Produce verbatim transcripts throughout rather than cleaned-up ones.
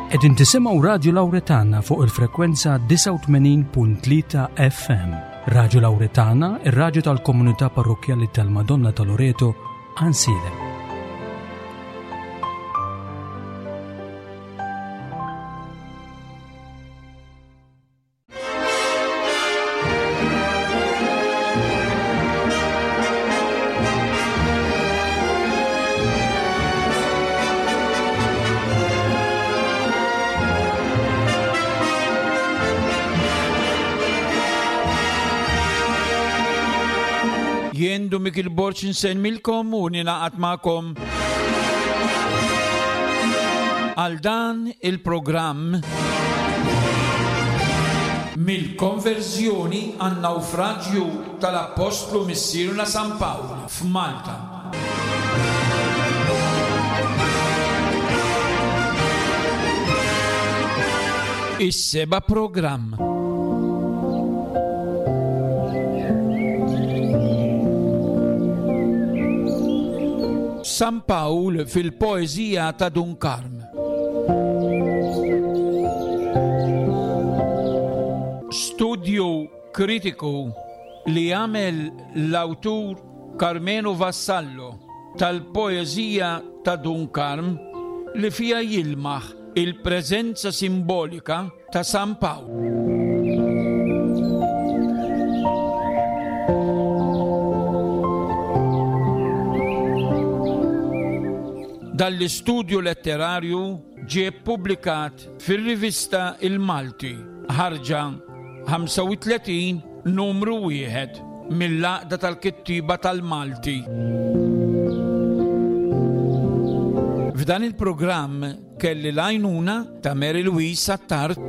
Qegħdin tisimgħu Radju Lawretana fuq il-frekwenza disgħa u tmenin punt tlieta F M. Radju Lawretana, ir-radju tal-Komunità Parrokkjali tal-Madonna ta' Loreto, Għajnsielem. Jien Dun Mikiel Borg insellmilkom u ningħaqad magħkom għal dan il-programm Mill-Konverżjoni għan-Nawfraġju tal-Appostlu Missierna San Pawl f'Malta. Is-seba' programm. San Pawl fil-poeżija ta' Dun Karm. Studju kritiku li għamel l-awtur Karmenu Vassallo tal-poeżija ta' Dun Karm li fija jilmaħ il-preżenza simbolika ta' San Pawl. Dan l-istudju letterarju ġie ppubblikat fir-rivista Il-Malti, ħarġa ħamsa u tletin, numru wieħed, mill-Għaqda tal-Kittieba tal-Malti. F'dan il-programm kelli l-għajnuna ta' Mary Louise Attard.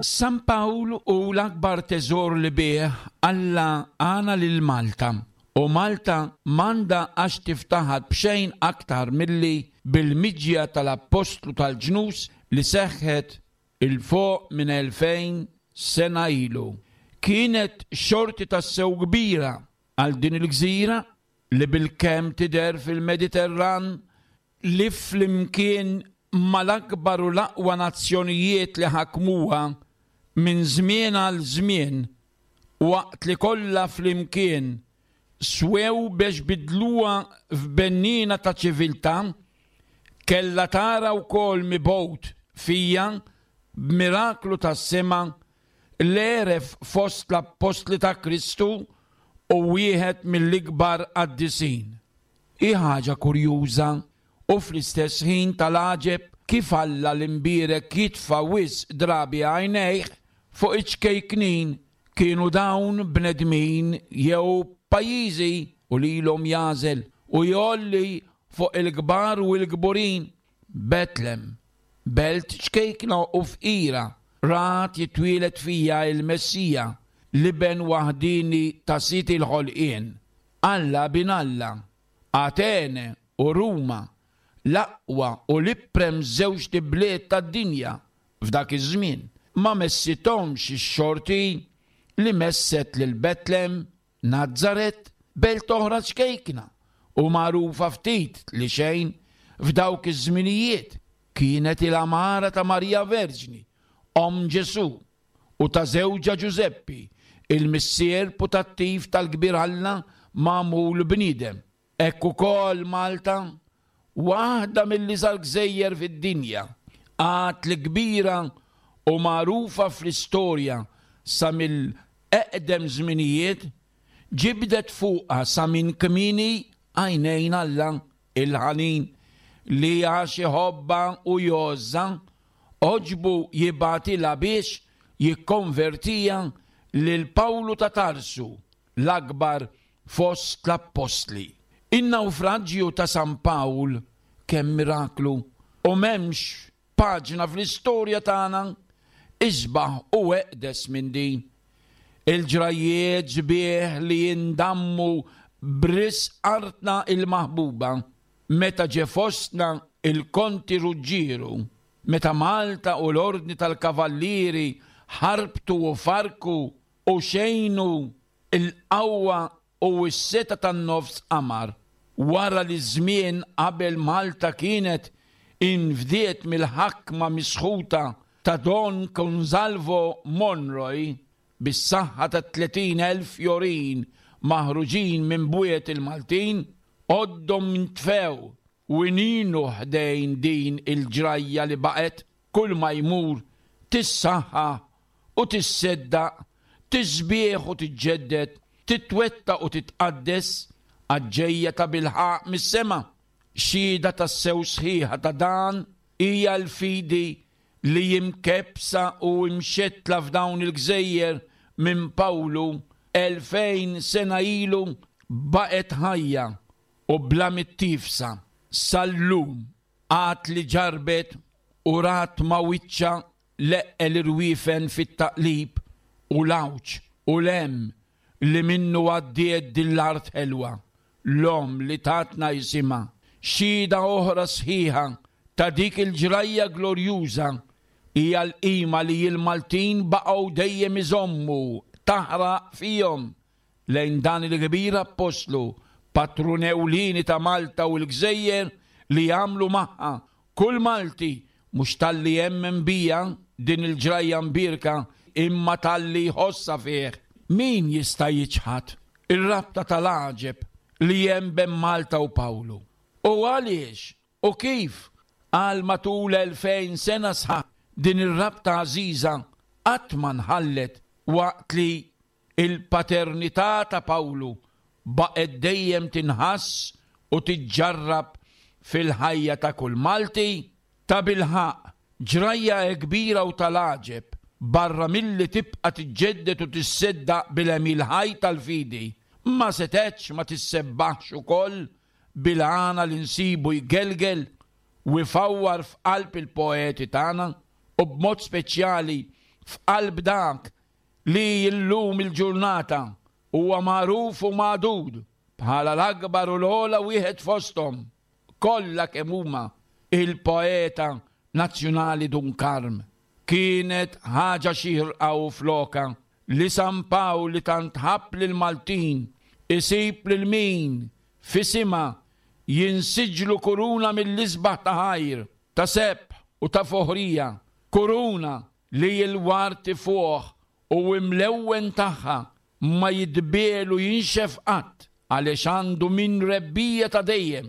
San Pawl hu l-akbar teżor li bih Alla għana lil Malta. U Malta m'għandha għax tiftaħar b'xejn aktar milli bil-miġja tal-Appostlu tal-ġnus li seħħet 'il fuq minn elfejn sena ilu. Kienet xorti tassew kbira għal din il-gżira li bilkemm tidher fil-Mediterran li flimkien mal-akbar u l-aqwa nazzjonijiet li ħakmuha minn żmien għal żmien, waqt li kollha flimkien swew biex bidluha f'benniena ta' ċiviltà, kellha tara wkoll mibgħut fija b'miraklu tas-sema l-għeref fost l-appostli ta' Kristu u wieħed mill-ikbar qaddisin. Hi ħaġa kurjuża u fl-istess ħin tal-għaġeb kif Alla l-imbierek jitfa' wisq drabi għajnejh fuq iċ-ċkejknin, kienu dawn bnedmin jew pajjiżi, u lilhom jagħżel u jgħolli fuq il-kbar u l-kburin. Betlem, belt ċkejkna u fqira, rat jitwieled fija il-Messija, l-iben waħdini ta' Sid il-ħolqien, Alla bin Alla. Atene u Ruma, l-aqwa u l-iprem żewġt ibliet tad-dinja f'dak iż-żmien, ma messithomx ix-xorti li messet lil Betlem, Nazaret, belt oħra ċkejkna u magħrufa ftit li xejn f'dawk iż-żminijiet. Kienet il-għamara ta' Marija Verġni, omm Ġesù, u ta' żewġha Ġużeppi, il-missier putattiv tal-kbir Alla magħmul bniedem. Hekk ukoll Malta, waħda mill-iżgħar gżejjer fid-dinja, għad li kbira u magħrufa fl-istorja sa mill-eqdem żminijiet, ġibdet fuqha sa minn kmieni għajnejn Alla il-ħanin li għax iħobbha u jgħożżha għoġbu jibgħatilha biex jikkonvertiha lil Pawlu ta' Tarsu, l-akbar fost l-appostli. In-nawfraġju ta' San Pawl kemm miraklu, u m'hemmx paġna fl-istorja tagħna isbaħ u eqdes minn din. Il-ġrajiet sbieħ li jindammu b'risq artna il-maħbuba meta ġie fostna il-Konti Ruġġieru, meta Malta u l-Ordni tal-Kavallieri ħarbtu u farrku u xejnu il-qawwa u s-setgħa tan-nofs qamar, wara li żmien qabel Malta kienet infdiet mill-ħakma misħuta ta' Don Gonzalvo Monroy bis-saħħa ta' tletin elf fjorin maħruġin minn bwiet il-Maltin, għoddhom intfew u ininu ħdejn din il-ġrajja li baqgħet kull ma jmur tissaħħa u tisseddaq, tisbieħ u tiġġedded, titwettaq u titqaddes għaġġejja ta' bilħaq mis-sema. Xhieda tassew sħiħa ta' dan hija l-fidi li imkebbsa u imxettla f'dawn il-gżejjer minn Pawlu elfejn sena ilu baqgħet ħajja u bla mittiefsa sal-lum, għad li ġarbet u rat ma' wiċċha l-eqqel irwiefen fit-taqlib u l-għawġ u l-hemm li minnu għaddiet din l-art ħelwa, l-omm li tatna jisimha. Xhieda oħra sħiħa ta' dik il-ġrajja glorjuża hija l-qima li l-Maltin baqgħu dejjem iżommu taħraq fihom lejn dan il-kbir appostlu, patrun ewlieni ta' Malta u l-gżejjer li jagħmlu magħha kull Malti, mhux talli jemmen biha din il-ġrajja mbierka imma talli jħossha fih. Min jista' jiċħad ir-rabta tal-għaġeb li hemm bejn Malta u Pawlu? U għaliex u kif għal matul elfejn sena sħaħ din ir-rabta għażiża qatt ma nħallet waqt li il-paternità ta' Pawlu baqgħet dejjem tinħass u tiġġarrab fil-ħajja ta' kull Malti? Ta' bilħaqq ġrajja kbira u tal-għaġeb, barra milli tibqa' tiġġedded u tisseddaq bil-għemil ħaj tal-fidi, ma setgħetx ma tissebbaħx ukoll bil-għana li nsibu jgelgel u jfawwar f'qalb il-poeti tagħna u b'mod speċjali f'qalb dak li llum il-ġurnata huwa magħruf u magħdud bħala l-akbar u l-ogħla wieħed fosthom kollha kemm huma, il-poeta nazzjonali Dun Karm. Kienet ħaġa xierqa u floka li San Pawl li tant ħabb lill-Maltin isib lil min f'isimha jinsiġlu kuruna mill-isbaħ ta' ħajr, ta' sebħ u ta' foħrija, kuruna li l-ward ifuħ u imlewwen tagħha ma jidbiel u jinxef qatt għaliex għandu minn rebbija ta' dejjem.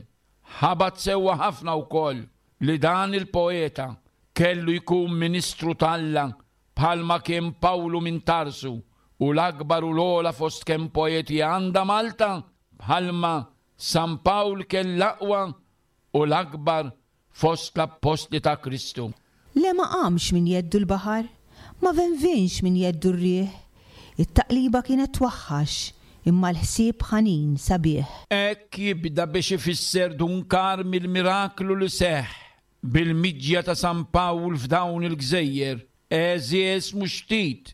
Ħabat sewwa ħafna wkoll li dan il-poeta kellu jkun ministru t'Alla bħalma kien Pawlu minn Tarsu u l-akbar u l-ogħla fost kemm poeti għandha Malta bħalma San Pawl kell l-aqwa u l-akbar fost l-appostli ta' Kristu. Le ma qamx minn jeddu l-baħar, ma venvinx minn jeddu r-riħ. It-taqliba kienet twaħħax, imma l-ħsieb ħanin sabiħ. Hekk jibda biex ifisser Dun Karm il-miraklu li seħħ bil-miġja ta' San Pawl f'dawn il-gżejjer, għeżież mhux ftit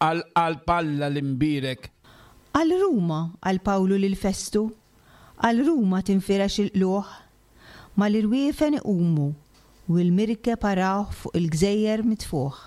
għal qalb Alla l-imbierek. Għal Ruma, għal Pawlu lil Festu, għal Ruma tinfirex il-qluħ, mal-irwiefen iqumu u l-mirkeb arawh fuq il-gżejjer mitfuħ.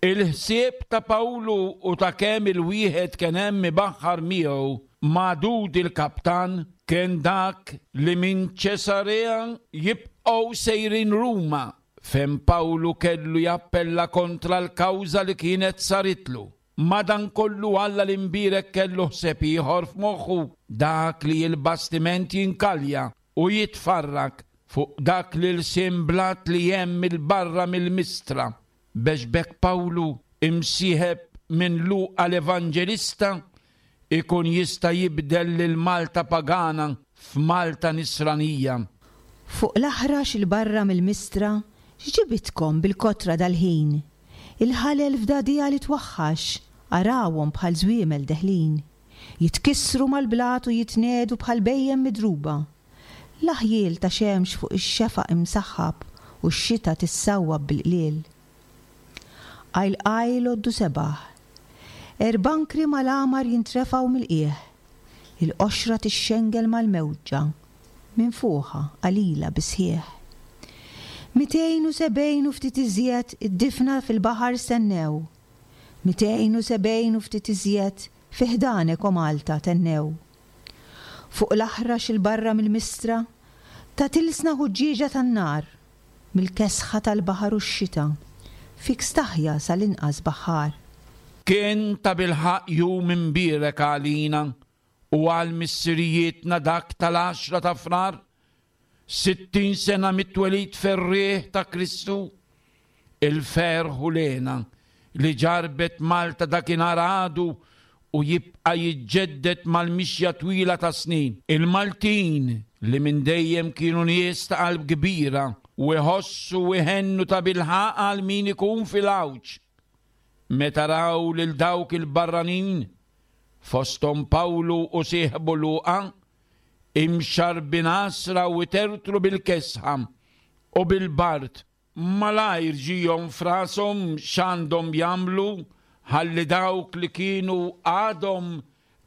Il-ħsieb ta' Pawlu u ta' kemm il-wieħed kien hemm ibaħħar miegħu magħdud il-kaptan kien dak li minn Ċesarea jibqgħu sejrin Ruma, fejn Pawlu kellu jappella kontra l-kawża li kienet saritlu. Madankollu Alla l-imbierek kellu ħsieb ieħor f'moħħu, dak li l-bastiment jinkalja u jitfarrak fuq dak li l-lsien blat li hemm il-barra mill-Mistra, biex b'hekk Pawlu imsieħeb minn Luqa l-Evanġelista ikun jista' jibdel lil Malta pagana f'Malta nisranija. Fuq l-aħrax il-barra mill-Mistra x'ġibitkom bil-kotra dal-ħin? Il-ħalel f'dagħdigħa li twaħħax, arawhom bħal żwiemel deħlin. Jitkissru mal-blat u jitnedu bħal bhejjem midruba. L-aħjiel ta' xemx fuq ix-xefaq imsaħħab u x-xita tissawwab bil-qliel. Qajl qajl għoddu sebaħ. Erbankri mal-għamar jintrefgħu mill-qiegħ. Il-qoxra tixxengel mal-mewġa, minfuħa qalila bisħieħ. Mitejn u sebgħin u ftit iżjed id-difna fil-baħar stennew. Mitejn u sebgħin u ftit iżjed fi ħdanek o Malta tennew. Fuq l-aħrax 'il barra mill-Mistra, ta' tilsna ħuġġieġa tan-nar, mill-kesħa tal-baħar u x-xita, fik staħja sal-inqas baħħar. Kien tabilħaqq jum imbierek għalina u għal missirijietna dak tal-għaxra ta' Frar, sittin sena mit-twelid ferrieħ ta' Kristu, il-ferħ u l-hena li ġarbet Malta dakinhar għadu u jibqa' jiġġedded mal-mixja twila ta' snin. Il-Maltin li minn dejjem kienu nies ta' qalb kbira u jħossu u jħennu tabilħaqq għal min ikun fil-għawġ. Meta raw lil dawk il-barranin, fosthom Pawlu u sieħbu Luqa, imxarrbin għasra u itertru bil-kesħa u bil-bard, malajr ġiehom f'rashom x'għandhom jagħmlu ħalli dawk li kienu għadhom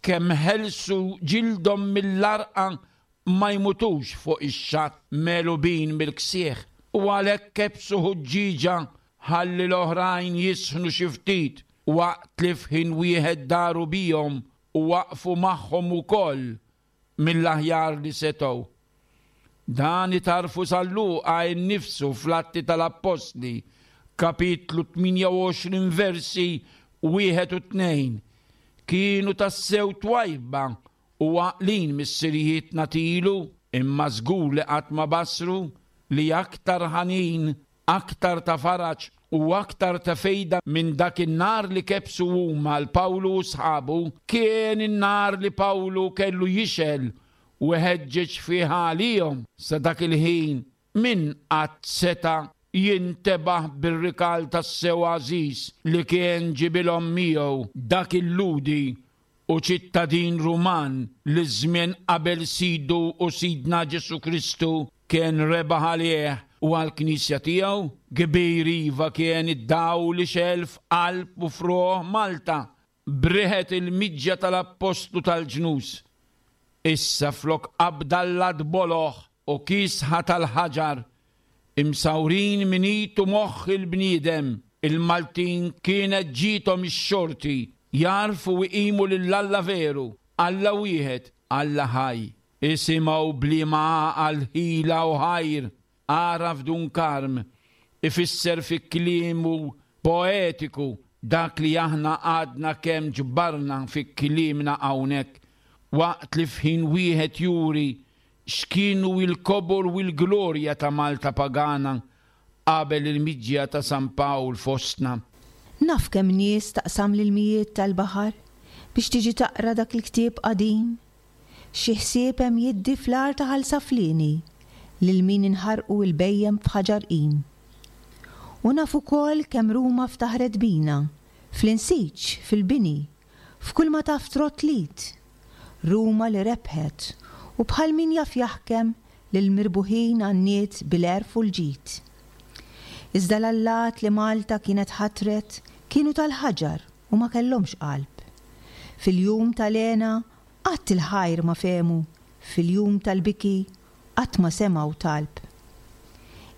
kemm ħelsu ġildhom mill-għarqa ma jmutux fuq ix-xatt megħlubin mill-ksieħ, u għalhekk kebsu ħuġġieġa ħalli l-oħrajn jisħnu xi ftit waqt li f'ħin wieħed daru bihom u waqfu magħhom ukoll mill-aħjar li setgħu. Dan itarfu San Luqa nnifsu fl-Atti tal-Appostli, kapitlu tmienja u għoxrin versi wieħed u tnejn. Kienu tassew twajba u għaqlin missirijietna tilu, imma żgur li qatt ma basru li aktar ħanin, aktar ta' faraġ u aktar ta' fejda minn dak in-nar li kebsu huma l Pawlu u sħabu, kien in-nar li Pawlu kellu jixgħel u ħeġġeġ fih għalihom sa dak il-ħin min qatt seta' jintebaħ bir-rikal tas-sew għażiż li kien ġibilhom miegħu dak il-Lhudi u ċittadin Ruman li żmien qabel sidu u sidna Ġesu Kristu kien rebaħ għalih u għall-knisja tiegħu. Kbir iva kien id-dawl li xegħel f'qalb u f'ruħ Malta b'riħet il-miġja tal-appostlu tal-ġnus. Issa flok qabda boloh u kisħa tal-ħaġar imsawrin minn id u moħħ il-bniedem, il-Maltin kienet ġiethom ix-xorti jarfu u jqimu lil Alla veru, Alla wieħed, Alla ħaj. Isimgħu b'liema għaqal, ħila u ħajr għaraf Dun Karm ifisser fi kliemu poetiku dak li aħna għadna kemm ġbarna fi kliemna hawnhekk, waqt li f'ħin wieħed juri x'kienu il-kobor u l-glorja ta' Malta pagana qabel il-miġja ta' San Pawl fostna. Naf kemm nies taqsam l-ilmijiet tal-baħar biex tiġi taqra dak il-ktieb qadim. Xi ħsieb hemm jiddi fl-għar ta' Ħal Saflieni lil min inħarqu l-bhejjem f'ħaġar qim. U naf ukoll kemm Ruma ftaħret bina, fl-insiġ, fil-bini, f'kull ma taf trott lit. Ruma li rebħet u bħal min jaf jaħkem lil mirbuħin għanniet bil-għerf u l-ġid. Iżda l-allat li Malta kienet ħatret kienu tal-ħaġar u ma kellhomx qalb. Fil-jum tal-hena qatt il-ħajr ma fehmu, fil-jum tal-biki qatt ma semgħu talb.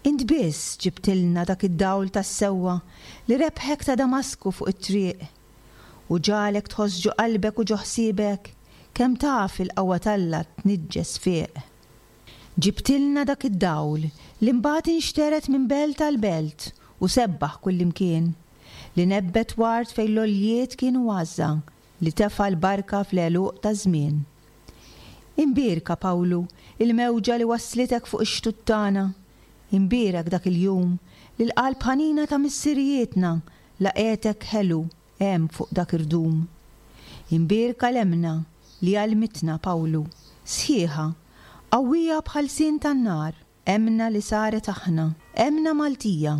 Int biss ġibtilna dak id-dawl tas-sewwa li rebħek ta' Damasku fuq it-triq u ġalek tħoss ġo qalbek u ġo ħsiebek kemm taf il-qawwa t'Alla tniġġes fieq. Ġibtilna dak id-dawl li mbagħad inxteret minn belt għal belt u sebbaħ kullimkien, li nebbet ward fejn l-għoljiet kienu għażża, li tefa' l-barka fl-għeluq taż-żmien. Imbierka, Pawlu, il-mewġa li waslitek fuq ix-xtut tagħna. Imbierek dak il-jum li l-qalb ħanina ta' missirijietna laqgħetek ħelu hemm fuq dak irdum. Imbierka l-emmna li għallmitna, Pawlu, sħiħa, qawwija bħal sin tan-nar, emmna li saret aħna, emmna Maltija,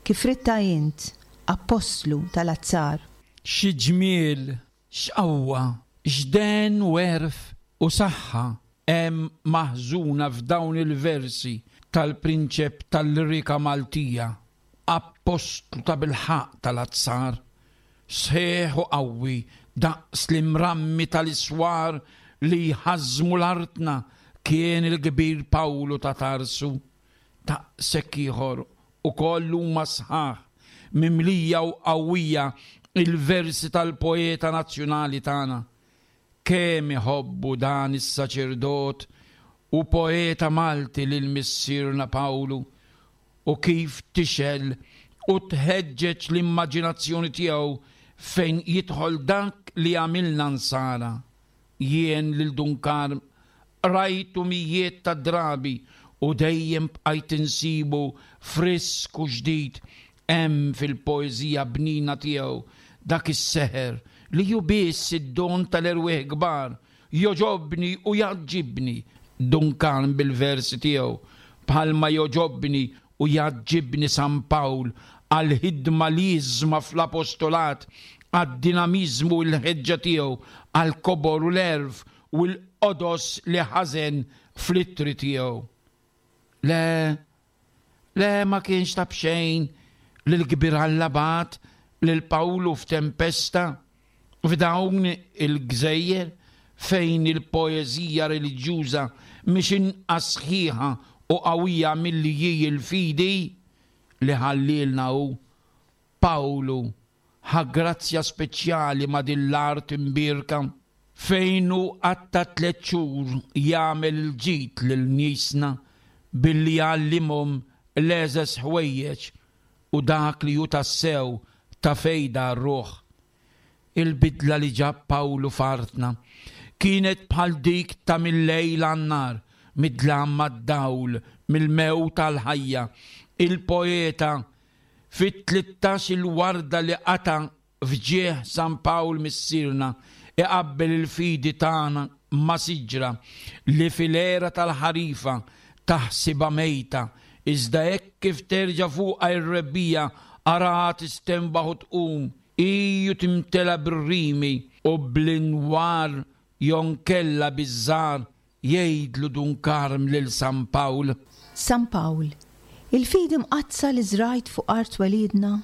kif ridtha int, appostlu tal-azzar. Xi ġmiel, x'qawwa, x'den u għerf u saħħa hemm maħżuna f'dawn il-versi tal-prinċep tal-lirika Maltija, appostlu ta' bilħaqq tal-azzar, sħiħ u qawwi daqs l-imrammi tal-iswar li jħażżmu l-artna kien il-kbir Pawlu ta' Tarsu. Daqshekk ieħor ukoll huma sħaħ, mimlija u qawwija il-versi tal-poeta nazzjonali tagħna. Kemm iħobbu dan is-saċerdot u poeta Malti lil missierna Pawlu u kif tixgħel u tħeġġeġ l-immaġinazzjoni tiegħu fejn jidħol dak li għamilna nsara. Jien lil Dun Karm rajtu mijiet ta' drabi u dejjem bqajt insibu frisk u ġdid hemm fil-poeżija bnina tiegħu dak is-seħer li hu biss id-don tal-erwieħ kbar, jogħġobni u jgħaġġibni Dun Karm bil-versi tiegħu, bħalma jogħġobni u jgħaġġibni San Pawl għall-ħidma liżma fl-apostolat, għad-dinamiżmu u l-ħeġġa tiegħu, għall-kobor u l-għerf u l-qodos li ħażen fl-ittri tiegħu. Le, le ma kienx ta' b'xejn li l-kbir Alla bagħat lil Pawlu f'tempesta f'dawn il-gżejjer fejn il-poeżija reliġjuża mhix inqas sħiħa u qawwija milli hi l-fidi li ħallielna hu. Pawlu ħa grazzja speċjali ma' din l-art imbierka fejn hu qatta' tliet xhur jagħmel il-ġid lil niesna billi jgħallimhom l-għeżeż ħwejjeġ u dak li hu tassew ta' fejda għar-ruħ. Il-bidla li ġab Pawlu f'artna kienet bħal dik ta' mil-lejl għan-nhar, mid-dlam għad-dawl, mill-mewt għall-ħajja. Il-poeta fit-tlittax-il warda li qata' f'ġieħ San Pawl Missierna iqabbel il-fidi tagħna ma' siġra li fil-era tal-ħarifa taħsibha mejta, iżda hekk kif terġa' fuqha r-rebbiegħa araha tistenbaħ u tqum, hi u timtela bir-rimi u bl-inwar jonkella biż-żgħar, jgħidlu Dun Karm lil San Pawl. San Pawl, il-fidi mqaddsa li żrajt fuq art twelidna,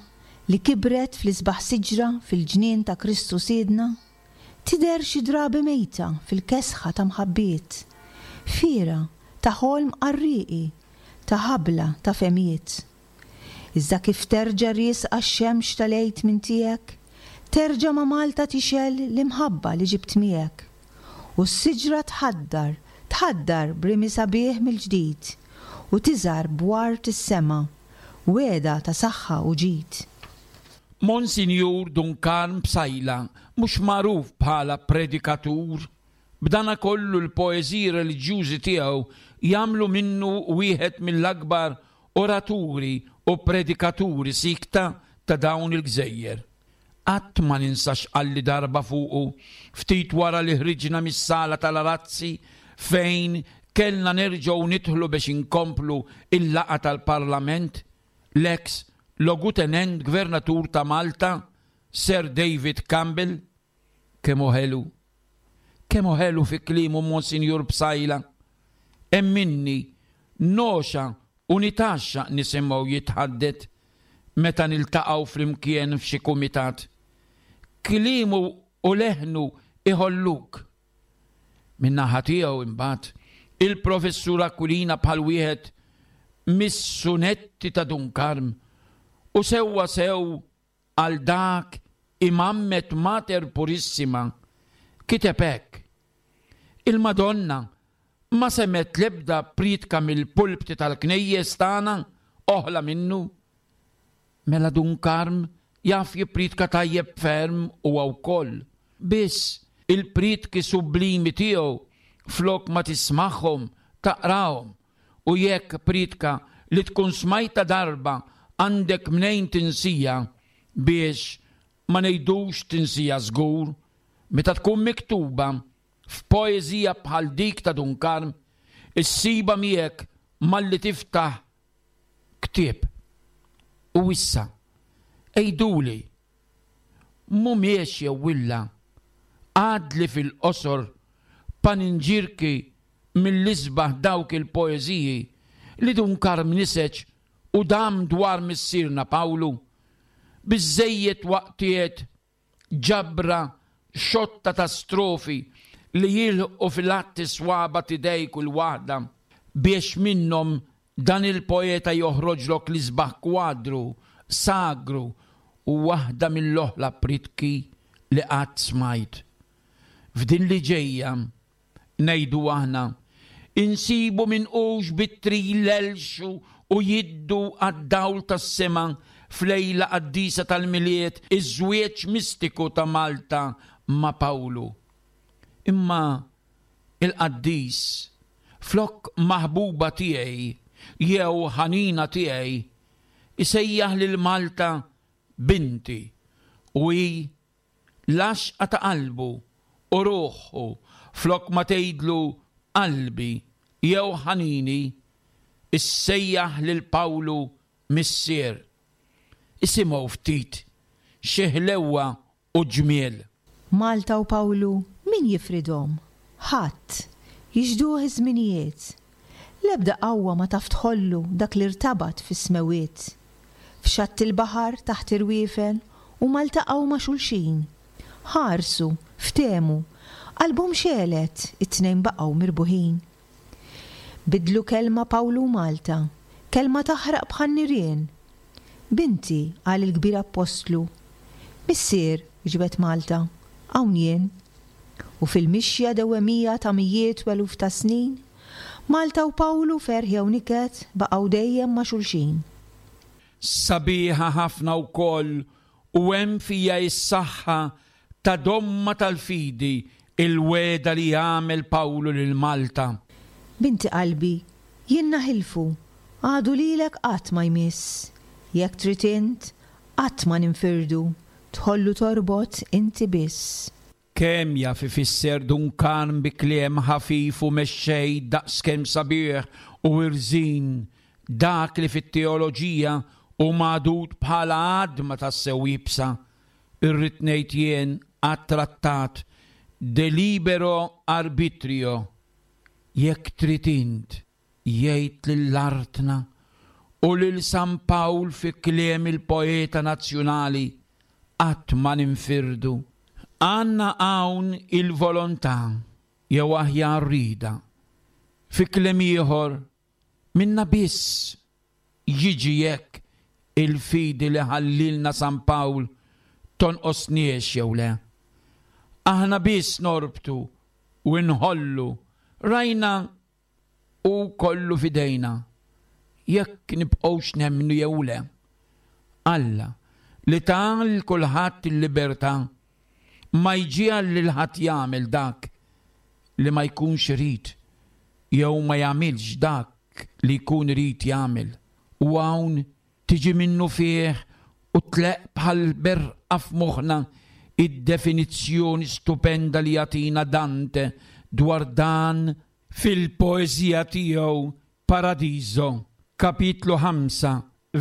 li kibret fl-isbaħ siġra fil-ġnien ta' Kristu Sidna, tidher xi drabi mejta fil-kesħa ta' mħabbiet, fiera ta' ħolm qarrieqi, ta' ħabla ta' fehmiet. Iżda kif terġa' riesqa x-xemx tal-Għid minn tiegħek, terġa' ma' Malta tixgħel l-imħabba li ġibt miegħek. U s-siġra tħaddar, tħaddar b'rimi sabiħ mill-ġdid, u tiżhar b'ward is-sema, wegħda ta' saħħa u ġid. Monsinjur Dun Karm Psaila mhux magħruf bħala predikatur. B'dana kollu l-poeżiji reliġjużi tiegħu jagħmlu minnu wieħed mill-akbar oraturi u predikaturi sikta ta' dawn il-gżejjer. Qatt ma ninsa x'qalli darba fuqu ftit wara li ħriġna mis-sala tal-arazzi fejn kellna nerġgħu nidħlu biex inkomplu il-laqgħa tal-Parlament, l-eks Logutenent Gvernatur ta' Malta, Sir David Campbell. Kemm hu ħelu, kemm hu ħelu fi kliemu Monsinjur Psaila. Emminni, nogħxa u nitgħaxxaq nisimgħu jitħaddet meta niltaqgħu flimkien f'xi kumitat. Kliemu u leħnu iħolluk. Min-naħa tiegħu imbagħad, il-Professur Aquilina bħal wieħed mis-sunetti ta' Dun Karm u sewwa sew għal dak imammet Mater Purissima kiteb hekk: Il-Madonna ma semgħet l-ebda prietka mill-pulpti tal-knejjes tagħna oħla minnu. Mela Dun Karm jaf jipprietka tajjeb ferm huwa wkoll. Biss il-prietki sublimi tiegħu flok ma tismagħhom taqrahom, u jekk prietka li tkun smajta darba għandek mnejn tinsija, biex ma ngħidux tinsija żgur, meta tkun miktuba f'poeżija bħal dik ta' Dun Karm, issiba miegħek malli tiftaħ ktieb. U issa, għiduli, mhumiex jew illa għadli fil-qosor paninġirki mill-isbaħ dawk il-poeżiji li Dun Karm niseġ u dam dwar missierna Pawlu, biżżejjed waqtiet ġabra xotta ta' strofi li jilħqu fil-għadd is-swaba' t'idej kull waħda biex minnhom dan il-poeta joħroġlok l-isbaħ kwadru sagru u waħda mill-oħla pritki li qatt smajt. F'din li ġejja, ngħidu aħna, insibu minqux b'ittri jlellxu u jiddu għad-dawl tas-sema f'lejla qaddisa tal-Milied iż-żwieġ mistiku ta' Malta ma' Pawlu. Imma il-qaddis, flok maħbuba tiegħi jew ħanina tiegħi, isejjaħ lil Malta binti u hi l-għaxqa ta' qalbu u ruħu flok ma tgħidlu qalbi jew ħanini, issejjaħ lil Pawlu missier. Isimgħu ftit xi ħlewwa u ġmiel. Malta u Pawlu min jifridhom? Ħadd. Jixhduh iż-żminijiet. L-ebda qawwa ma taf tħollu dak li rtabat fis-smewwiet. F'xatt il-baħar taħt irwiefen huma ltaqgħu ma' xulxin. Ħarsu, ftehmu, qalbhom xegħlet, it-tnejn baqgħu mirbuħin. Bidlu kelma Pawlu u Malta, kelma taħraq bħan-nirien. Binti, qal il-kbir appostlu. Missier, wieġbet Malta, hawn jien. U fil-mixja dewwemija ta' mijiet u eluf ta' snin, Malta u Pawlu ferħ jew niket baqgħu dejjem ma' xulxin. Sabiħa ħafna wkoll u hemm fija s-saħħa ta' domma tal-fidi il-wegħda li għamel Pawlu lil Malta. Binti qalbi, jien naħilfu, għadu lilek qatt ma jmiss. Jekk trid int, qatt ma ninfirdu, tħollu torbot inti biss. Kemm jaf ifisser Dun Karm bi kliem ħafif u mexxej daqskemm sabiħ u irżin dak li fit-teoloġija hu magħdud bħala għadma tassew iebsa, irrid ngħid jien għat-trattat de libero arbitrio. Jekk trid int, jgħid lil artna u lil San Pawl fi kliem il-poeta nazzjonali, qatt ma ninfirdu. Għandna hawn il-volontà jew aħjar rida. Fi kliem ieħor, minna biss jiġi jekk il-fidi li ħallilna San Pawl tonqosniex jew le. Aħna biss norbtu u nħollu, rajna u kollu fidejna, jekk nibqgħux nemmnu jew le. Alla li ta lil kulħadd il-libertà ma jġiegħel lil ħadd jagħmel dak li ma jkunx irid jew ma jagħmilx dak li jkun irid jagħmel. U hawn tiġi minnu fih u tleqq bħal berqa f'moħħna id-definizzjoni stupenda li jagħtina Dante dwar dan fil-poeżija tiegħu Paradiso, kapitlu ħamsa,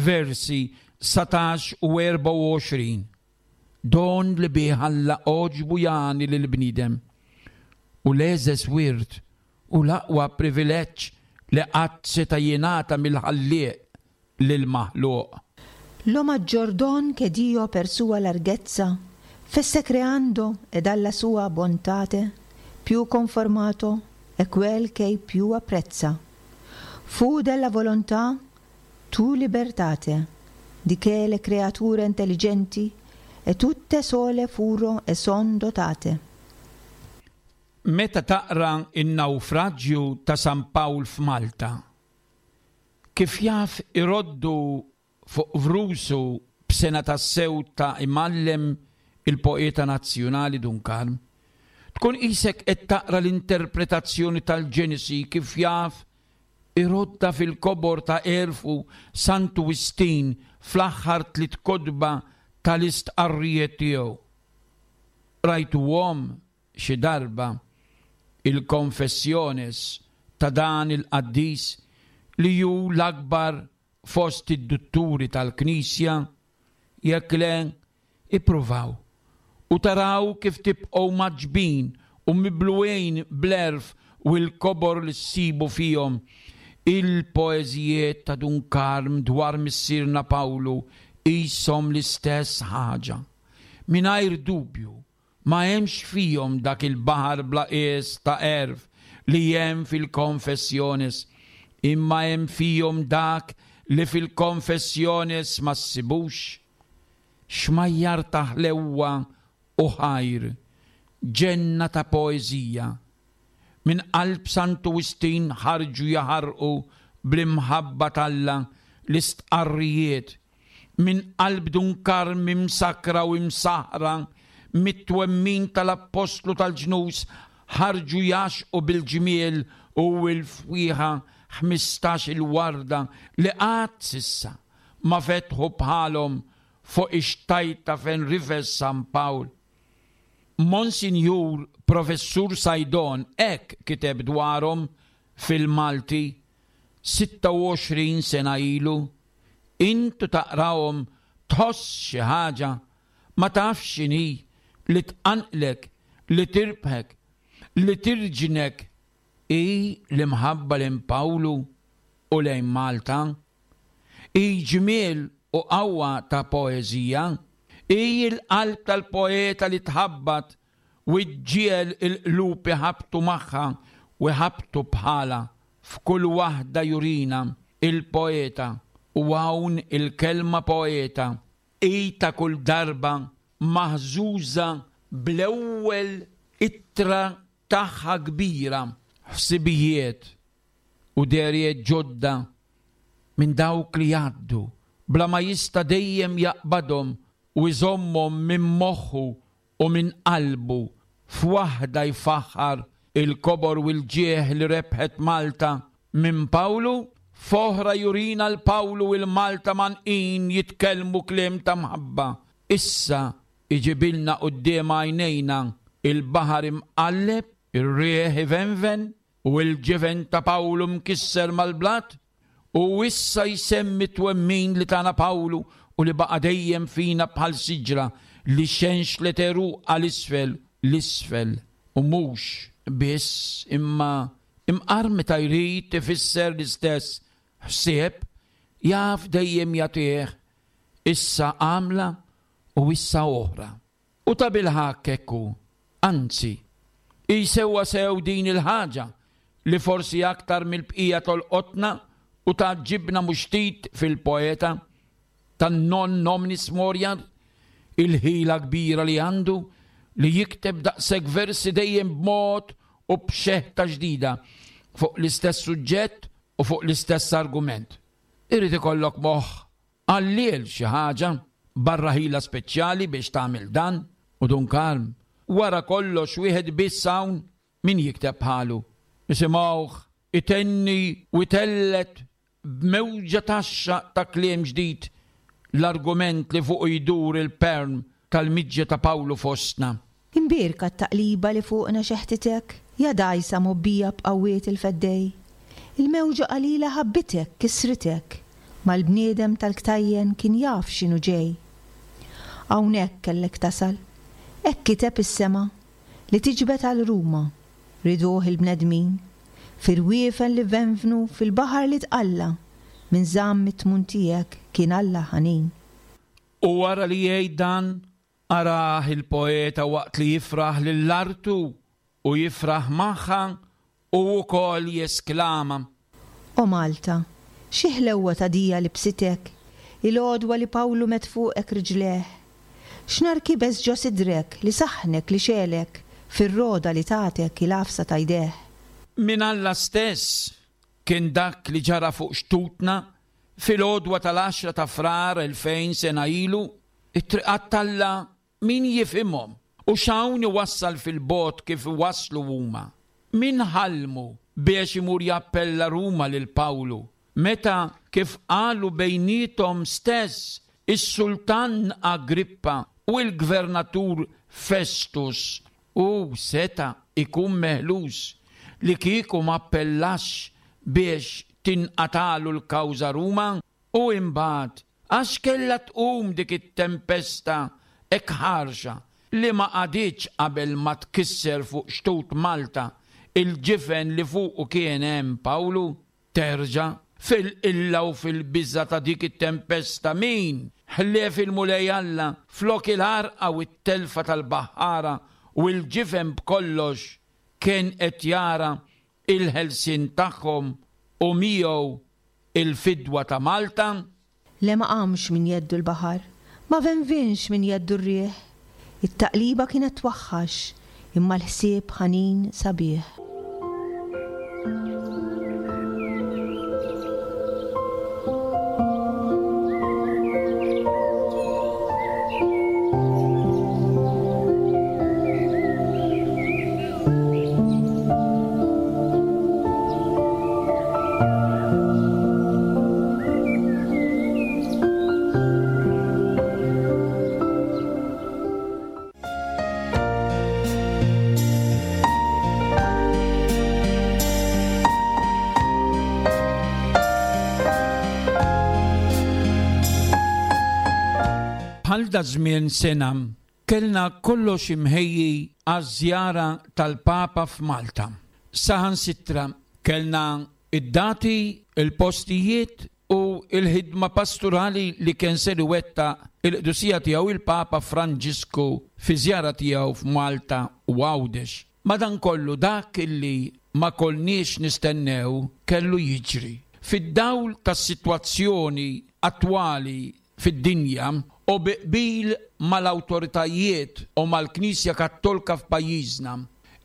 versi satax u erbgħa u għoxrin. Don li bih Alla għoġbu jagħni lill-bniedem u l-eżes wirt u l-aqwa privileġġ li qatt seta' jingħata mill-Ħallieq lill-maħluq. Lo maggior don che Dio per sua larghezza fesse creando ed alla sua bontate più conformato è quel che più apprezza. Fu della volontà tu libertate, di che le creature intelligenti e tutte sole furo e son dotate. Meta taqra in-nawfraġġju ta' San Pawl f'Malta, kif jaf iroddu fuq vrusu b'sena tassew ta' imgħallem il-poeta nazzjonali Dun Karm, tkun qisek qed taqra l-interpretazzjoni tal-Ġenesi kif jaf irodda fil-kobor ta' għerfu Santu Wistin fl-aħħar tliet kotba tal-istqarrijiet tiegħu. Rajtuhom xi darba il-konfessjones ta' dan il-qaddis li hu l-akbar fost id-dutturi tal-Knisja? Jekk le, ippruvaw u taraw kif tibqgħu maġbin u mibluwejn bl-għerf u l-kobor li ssibu fihom. Il-poeżijiet ta' Dun Karm dwar missierna Pawlu qishom l-istess ħaġa. Mingħajr dubju, Ma hemmx fihom dak il-baħar bla qies ta' għerf li hemm fil-Confessiones, imma hemm fihom dak li fil-Confessiones ma ssibux. Xmajjar ta' ħlewwa u ħajr, ġenna ta' poeżija. Minn qalb Santu Wistin ħarġu jaħarqu bl-imħabba t'Alla l-istqarrijiet. Minn qalb Dun Karm imsakkra u imsaħħra mit-twemmin tal-Appostlu tal-ġnus ħarġu jgħaxxqu bil-ġmiel u l-fwieħa ħmistax-il warda li qatt s'issa ma fetħu bħalhom fuq ix-xtajta fejn rifes San Pawl. Monsinjur Professur Saydon hekk kiteb dwarhom fil-Malti sitta u għoxrin sena ilu. Intu taqrahom tħoss xi ħaġa ma tafx x'inhi li tqanqlek, li tirbħek, li tirġnek hi l-imħabba lejn Pawlu u lejn Malta. Hi ġmiel u qawwa ta' poeżija. Hi l-qalb tal-poeta li tħabbat u ġġiegħel il-qlub iħabbtu magħha u jħabbtu bħalha. F'kull waħda jurina il-poeta, u hawn il-kelma poeta hi ta' kull darba maħżuża bl-ewwel ittra tagħha kbira, ħsibijiet u dehriet ġodda minn dawk li jgħaddu bla ma jista' dejjem jaqbadhom u jżommhom minn moħħu u minn qalbu. F'waħda jfaħħar il-kobor u l-ġieħ li rebħet Malta minn Pawlu, f'oħra jurina l-Pawlu u l-Malta manqin jitkellmu kliem ta' mħabba. Issa iġibilna quddiem għajnejna il-baħar imqalleb, ir-riħ ivenven u l-ġifen ta' Pawlu mkisser mal-blat, u issa jsemmi twemmin li tana Pawlu u li baqa' dejjem fina bħal siġra li xenxlet għeruqha l-isfel, l-isfel, u mhux biss imma imqar meta jrid ifisser l-istess ħsieb jaf dejjem jagħtih issa għamla u issa oħra. U ta' bilħaqq hekk hu, anzi, hi sewwa sew din il-ħaġa li forsi aktar mill-bqija tolqotna u tgħaġġibna mhux ftit fil-poeta tan-non nominis moriar, il-ħila kbira li għandu li jikteb daqshekk versi dejjem b'mod u b'xeħta ġdida fuq l-istess suġġett u fuq l-istess argument. Irid ikollok moħħ għalliel xi ħaġa barra ħila speċjali biex tagħmel dan, u Dun Karm wara kollox wieħed biss hawn min jikteb bħalu. Isimgħuh itenni u jtellet b'mewġa taxxa ta' kliem ġdid l-argument li fuq jdur il-perm tal-miġja ta' Pawlu fostna. Imbierka t-taqliba li fuqna xeħtitek, ja dgħajsa mgħobbija b'qawwiet il-feddej. Il-mewġa qalila ħabbitek, kisritek, mal-bniedem tal-ktajjen kien jaf x'inhu ġej. Hawnhekk kellek tasal, hekk kiteb is-sema li tiġbed għal Ruma, riduh il-bnedmin, fir-wiefen li venvnu fil-baħar li tqalla, minn żamm it-tmun tiegħek kien Alla ħanin. U wara li jgħid dan, arah il-poeta waqt li jifraħ lill-artu u jifraħ magħha u wkoll jesklama. O Malta, xi ħlewwa ta' dija libsitek, il-għodwa li Pawlu met fuqek riġleh. X'nar kibes ġo sidrek li saħnek li xelek fir-roda li tatek il-għafsa ta' jdeh. Min Alla stess kien dak li ġara fuq xtutna fil-għodwa tal-għaxra ta' Frar elfejn sena ilu, it-triqat t'Alla min jifhimhom u x'hawn iwassal fil-bogħod kif waslu huma. Min ħallmu biex imur jappella Ruma lil Pawlu, meta kif qalu bejnietom stess is-sultan Agrippa u l-gvernatur Festus u seta ikun meħlus li kieku ma appellax biex tinqatalu l-kawża Ruma, u imbagħad għax kellha tqum dik it-tempesta hekk ħarxa li ma qagħditx qabel ma tkisser fuq xtut Malta il-ġifen li fuqu kien hemm Pawlu, terġa' fil-qilla u fil-biża' ta' dik it-tempesta min ħlief il-Mulej Alla flok il-għarqa u t-telfa tal-baħħara u l-ġifen b'kollox kien qed jara il-ħelsien tagħhom u miegħu il-fidwa ta' Malta? Le ma qamx minn jeddu l-baħar, ma venvinx minn jeddu r-riħ. It-taqliba kienet twaħħax, imma l-ħsieb ħanin sabiħ. Bħal da żmien sena kellna kollox imħejji għaż-żjara tal-Papa f'Malta. Saħansitra kellna id-dati, il-postijiet u il-ħidma pastorali li kien ser iwettaq il-qdusija tiegħu il-Papa Franġisku fi żjara tiegħu f'Malta u Għawdex. Madankollu dak illi ma konniex nistennew kellu jiġri. Fid-dawl tas-sitwazzjoni attwali fid-dinja u bi qbil mal-awtoritajiet u mal-Knisja Kattolika f'pajjiżna,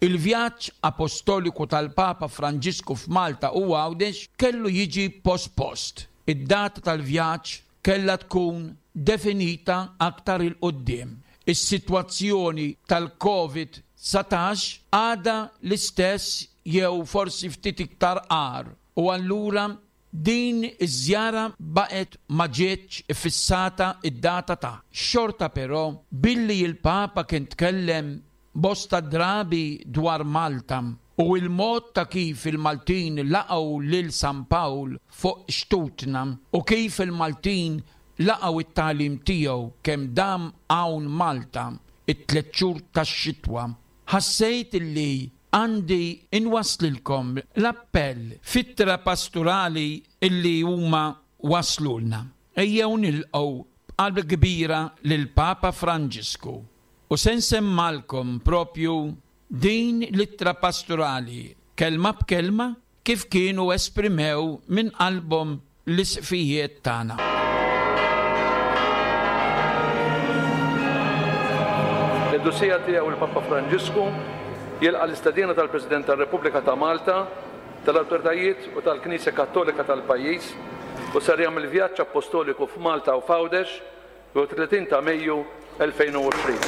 il-vjaġġ apostoliku tal-Papa Franġisku f'Malta u Għawdex kellu jiġi pospost. Id-data tal-vjaġġ kellha tkun definita aktar 'il quddiem. Is-sitwazzjoni tal-Covid dsatax għadha l-istess jew forsi ftit iktar agħar u allura din iż-żjara baqgħet ma ġietx iffissata id-data ta'. Xorta però billi il-Papa kien tkellem bosta drabi dwar Malta u il-mod ta' kif il-Maltin laqgħu lil San Pawl fuq xtutna u kif il-Maltin laqgħu it-tagħlim tiegħu kemm dam hawn Malta it-tliet xhur tax-xitwa, ħassejt illi għandi inwaslilkom l-appell fittra pastorali illi huma waslulna. Ejjew nilqgħu b'qalb kbira lil Papa Franġisku u se nsemmalkom propju din l-ittra pastorali kelma b'kelma kif kienu esprimew minn qalbhom l-isqfijiet tagħna. L-qdusija tiegħu il-Papa Franġisku jilqa' l-istedina tal-President tar-Repubblika ta' Malta, tal-awtoritajiet u tal-Knisja Kattolika tal-pajjiż u ser jagħmel vjaġġ apostoliku f'Malta u f'Għawdex fil-tletin ta' Mejju elfejn u għoxrin.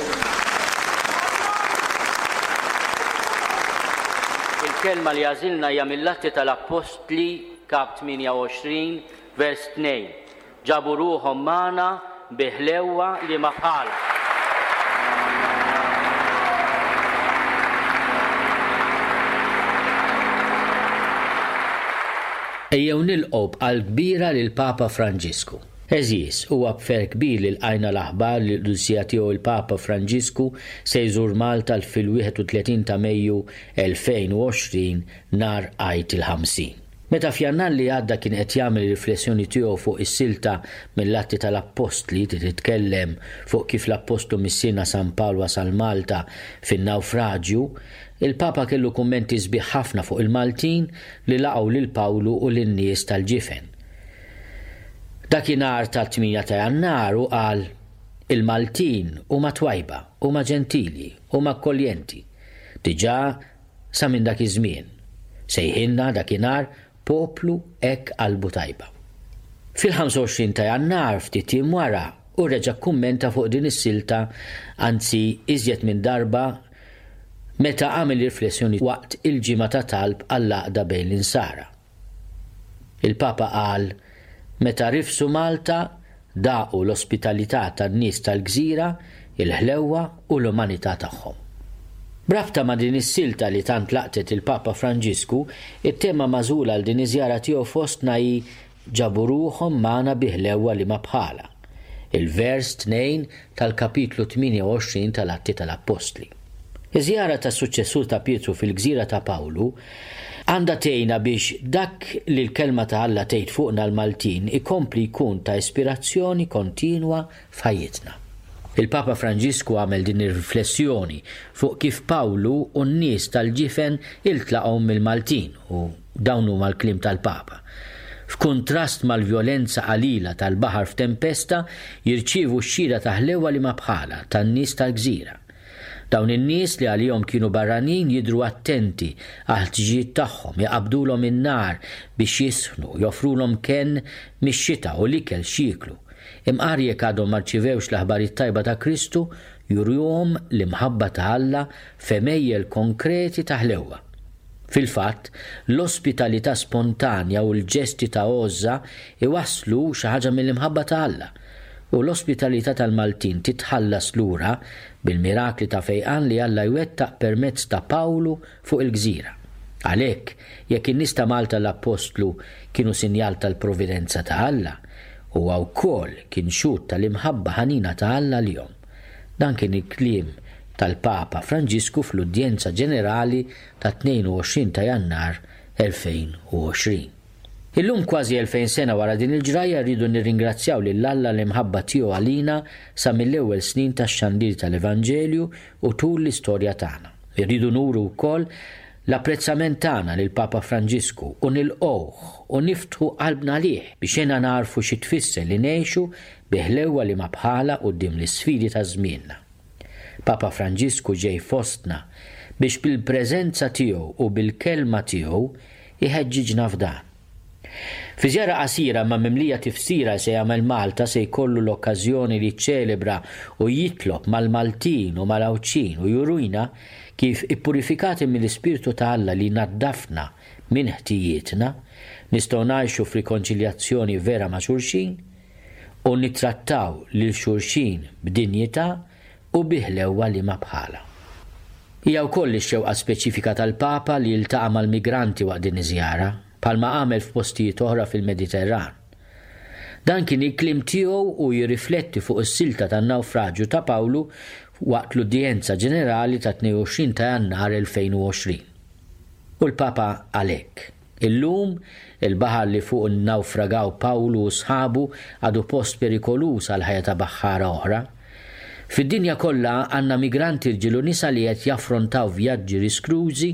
Il-kelma li għażilna hija mill-Atti tal-Appostli kap tmienja u għoxrin vers tnejn. Ġabu ruħhom magħna bi ħlewwa li ma bħalha. Ejjew nilqgħu b'qalb kbira lil Papa Franġisku. Għeżież, huwa b'ferħ kbir li lqajna l-aħbar li l-qdusija tiegħu il-Papa Franġisku se jżur Malta fil-wieħed u tletin ta' Mejju elfejn u għoxrin nhar Għid il-ħamsin. Meta f'Jannar li għadda kien qed jagħmel riflessjoni tiegħu fuq is-silta mill-Atti tal-Appostli li titkellem fuq kif l-Appostlu Missierna San Pawl wasal Malta fin-nawfraġju, il-Papa kellu kummenti sbieħ ħafna fuq il-Maltin li laqgħu lil Pawlu u lin-nies tal-ġifen. Dakinhar tat-tmienja ta' Jannar u qal: Il-Maltin huma twajba, huma ġentili, huma akkoljenti. Diġà sa minn dak iż-żmien. Sejħilna dakinhar poplu hekk qalbu tajba. Fil-ħamsa u għoxrin ta' Jannar ftit jiem wara u reġa' kummenta fuq din is-silta, anzi iżjed minn darba, meta għamel riflessjoni waqt il-ġimgħa ta' talb għall-għaqda bejn l-insara. Il-Papa qal: meta rifsu Malta daqu l-ospitalità tan-nies tal-gżira, il-ħlewwa u l-umanità tagħhom. B'rabta ma' din is-silta li tant laqtet il-Papa Franġisku, it-tema magħżula għal din iż-żjara tiegħu fostna hi ġabu ruħhom magħna bi ħlewwa li ma bħalha. Il-vers tnejn tal-kapitlu tmienja u għoxrin tal-Atti tal-Appostli. Iż-żjara tas-suċċessur ta' Pietru fil-gżira ta' Pawlu għandha tgħinna biex dak li l-kelma ta' Alla tgħid fuqna l-Maltin ikompli jkun ta' ispirazzjoni kontinwa f'ħajjitna. Il-Papa Franġisku għamel din ir-riflessjoni fuq kif Pawlu u n-nies tal-ġifen iltlaqgħu mill-Maltin u dawn huma l-kliem tal-Papa. F'kuntrast mal-vjolenza qalila tal-baħar f'tempesta, jirċievu x-xhieda ta' ħlewa li ma bħala tan-nies tal-gżira. Dawn in-nies li għalihom kienu barranin jidhru attenti għal ħtiġijiet tagħhom, jaqbdulhom in-nar biex jisħnu, joffrulhom kenn mix-xita u l-ikel x'jieklu. Imqar jekk għadhom ma rċivewx l-aħbarijiet tajba ta' Kristu, juruhom l-imħabba ta' Alla f'għemejjel konkreti ta' ħlewwa. Fil-fatt, l-ospitalità spontanja u l-ġesti ta' għożża iwasslu xi ħaġa mill-imħabba ta' Alla. U l-ospitalità tal-Maltin titħallas lura bil-mirakli ta' fejqan li Alla jwettaq permezz ta' Pawlu fuq il-gżira. Għalhekk, jekk in-nies ta' Malta l-Appostlu kienu sinjal tal-providenza ta' Alla, huwa wkoll kien xhud tal-imħabba ħanina ta' Alla lilhom. Dan kien il-kliem tal-Papa Franġisku fl-Udjenza Ġenerali ta' tnejn u għoxrin ta' Jannar elfejn u għoxrin. Illum kważi elfejn sena wara din il-ġrajja rridu nirringrazzjaw lil Alla l-imħabba tiegħu għalina sa mill-ewwel snin tax-xandir tal-Evanġelju u tul l-istorja tagħna. Irridu nuru wkoll l-apprezzament tagħna lil Papa Franġisku u nilqgħuh u niftħu qalbna għalih biex jena narfu xi tfisser li ngħixu bi ħlewwa li ma bħala quddiem l-isfidi ta' żmienna. Papa Franġisku ġej fostna biex bil-preżenza tiegħu u bil-kelma tiegħu iħeġġiġna f'dan. Fi żjara qasira ma mimlija tifsira se jagħmel Malta se jkollu l-okkażjoni li ċċelebra u jitlob mal-Maltin u mal-Għawdxin u jurina kif ippurifikati mill-Ispirtu ta' Alla li naddafna minn ħtijietna, nistgħu ngħixu f'rikonċiljazzjoni vera ma' xulxin u nittrattaw lil xulxin b'dinjità u bi ħlewwa li ma bħala. Hija wkoll ix-xewqa speċifika tal-Papa li jiltaqa' mal-migranti waqt din iż-żjara, bħalma għamel f'postijiet oħra fil-Mediterran. Dan kien il-kliem tiegħu u jirrifletti fuq is-silta tan-nawfraġju ta' Pawlu waqt l-udjenza ġenerali ta' tnejn u għoxrin ta' Jannar elfejn u għoxrin. U l-Papa għalhekk. Illum il-baħar li fuq innawfragaw Pawlu u sħabu għadu post perikoluż għal ħajja ta' baħħara oħra. Fid-dinja kollha għandna migranti rġiel u nisa li qed jaffrontaw vjaġġi riskrużi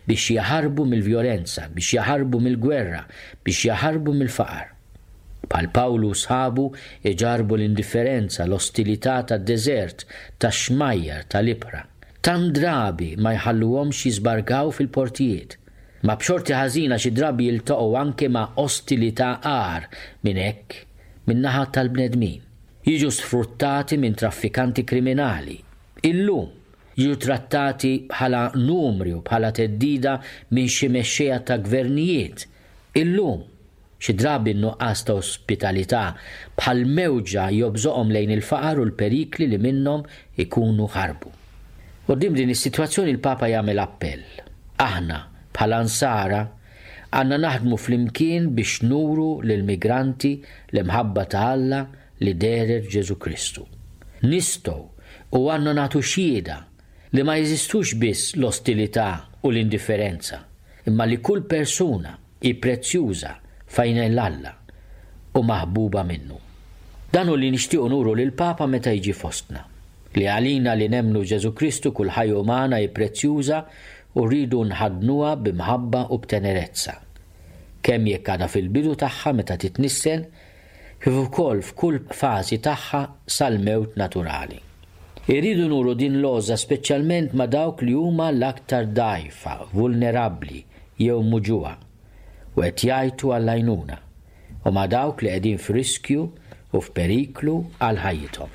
biex jaħarbu mill-vjolenza, biex jaħarbu mill-gwerra, biex jaħarbu mill-faqar. Bħal Pawlu u sħabu iġarbu l-indifferenza, l-ostilità tad-deżert, tax-xmajjar, tal-ibħra. Tant drabi ma jħalluhomx jiżbarkaw fil-portijiet. Ma b'xorti ħażina xi drabi jiltaqgħu anke ma' ostilità agħar minn hekk min-naħa tal-bnedmin. Jiġu sfruttati minn traffikanti kriminali. Illum jiġu trattati bħala numri u bħala theddida minn xi mexxejja ta' gvernijiet. Illum xi drabi n-nuqqas ta' ospitalità bħal mewġa jobżoqhom lejn il-faqar u l-perikli li minnhom ikunu ħarbu. Quddiem din is-sitwazzjoni l-Papa jagħmel appell. Aħna bħala nsara għandna naħdmu flimkien biex nuru lill-migranti l-imħabba ta' Alla li dehret Ġesu Kristu. Nistgħu u għandna nagħtu xhieda li ma jeżistux biss l-ostilità u l-indifferenza, imma li kull persuna hi prezzjuża f'għajnejn Alla u maħbuba minnu. Dan hu li nixtiequ nuru lil Papa meta jiġi fostna, li għalina li nemmnu Ġesu Kristu kull ħajja umana hi prezzjuża u rridu nħaddnuha b'imħabba u b'tenerezza. Kemm jekk għadha fil-bidu tagħha meta titnissel, kif ukoll f'kull fażi tagħha sal-mewt naturali. Irridu nuru din l-għożża speċjalment ma' dawk li huma l-aktar dgħajfa, vulnerabbli jew muġugħa u qed jgħajtu għall-għajnuna, u ma' dawk li qegħdin f'riskju u f'periklu għal ħajjithom.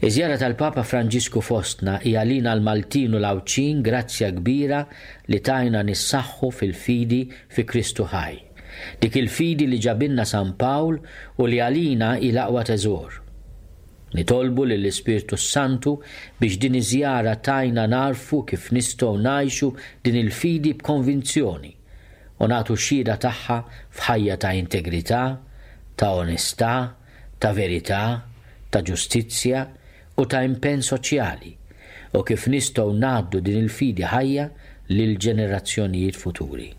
Iż-żjara tal-Papa Franġisku fostna hija għalina l-Maltin u l-Għawdxin grazzja kbira li tajna nissaħħu fil-fidi fi Kristu ħaj. Dik il-fidi li ġabilna San Pawl u li għalina hi l-aqwa teżor. Nitolbu lill-Ispirtu Santu biex din iż-żjara tajna narfu kif nistgħu ngħixu din il-fidi b'konvinzjoni u nagħtu xhieda tagħha f'ħajja ta' integrità, ta' onestà, ta' verità, ta' ġustizzja u ta' impenn soċjali, u kif nistgħu ngħaddu din il-fidi ħajja lil ġenerazzjonijiet futuri.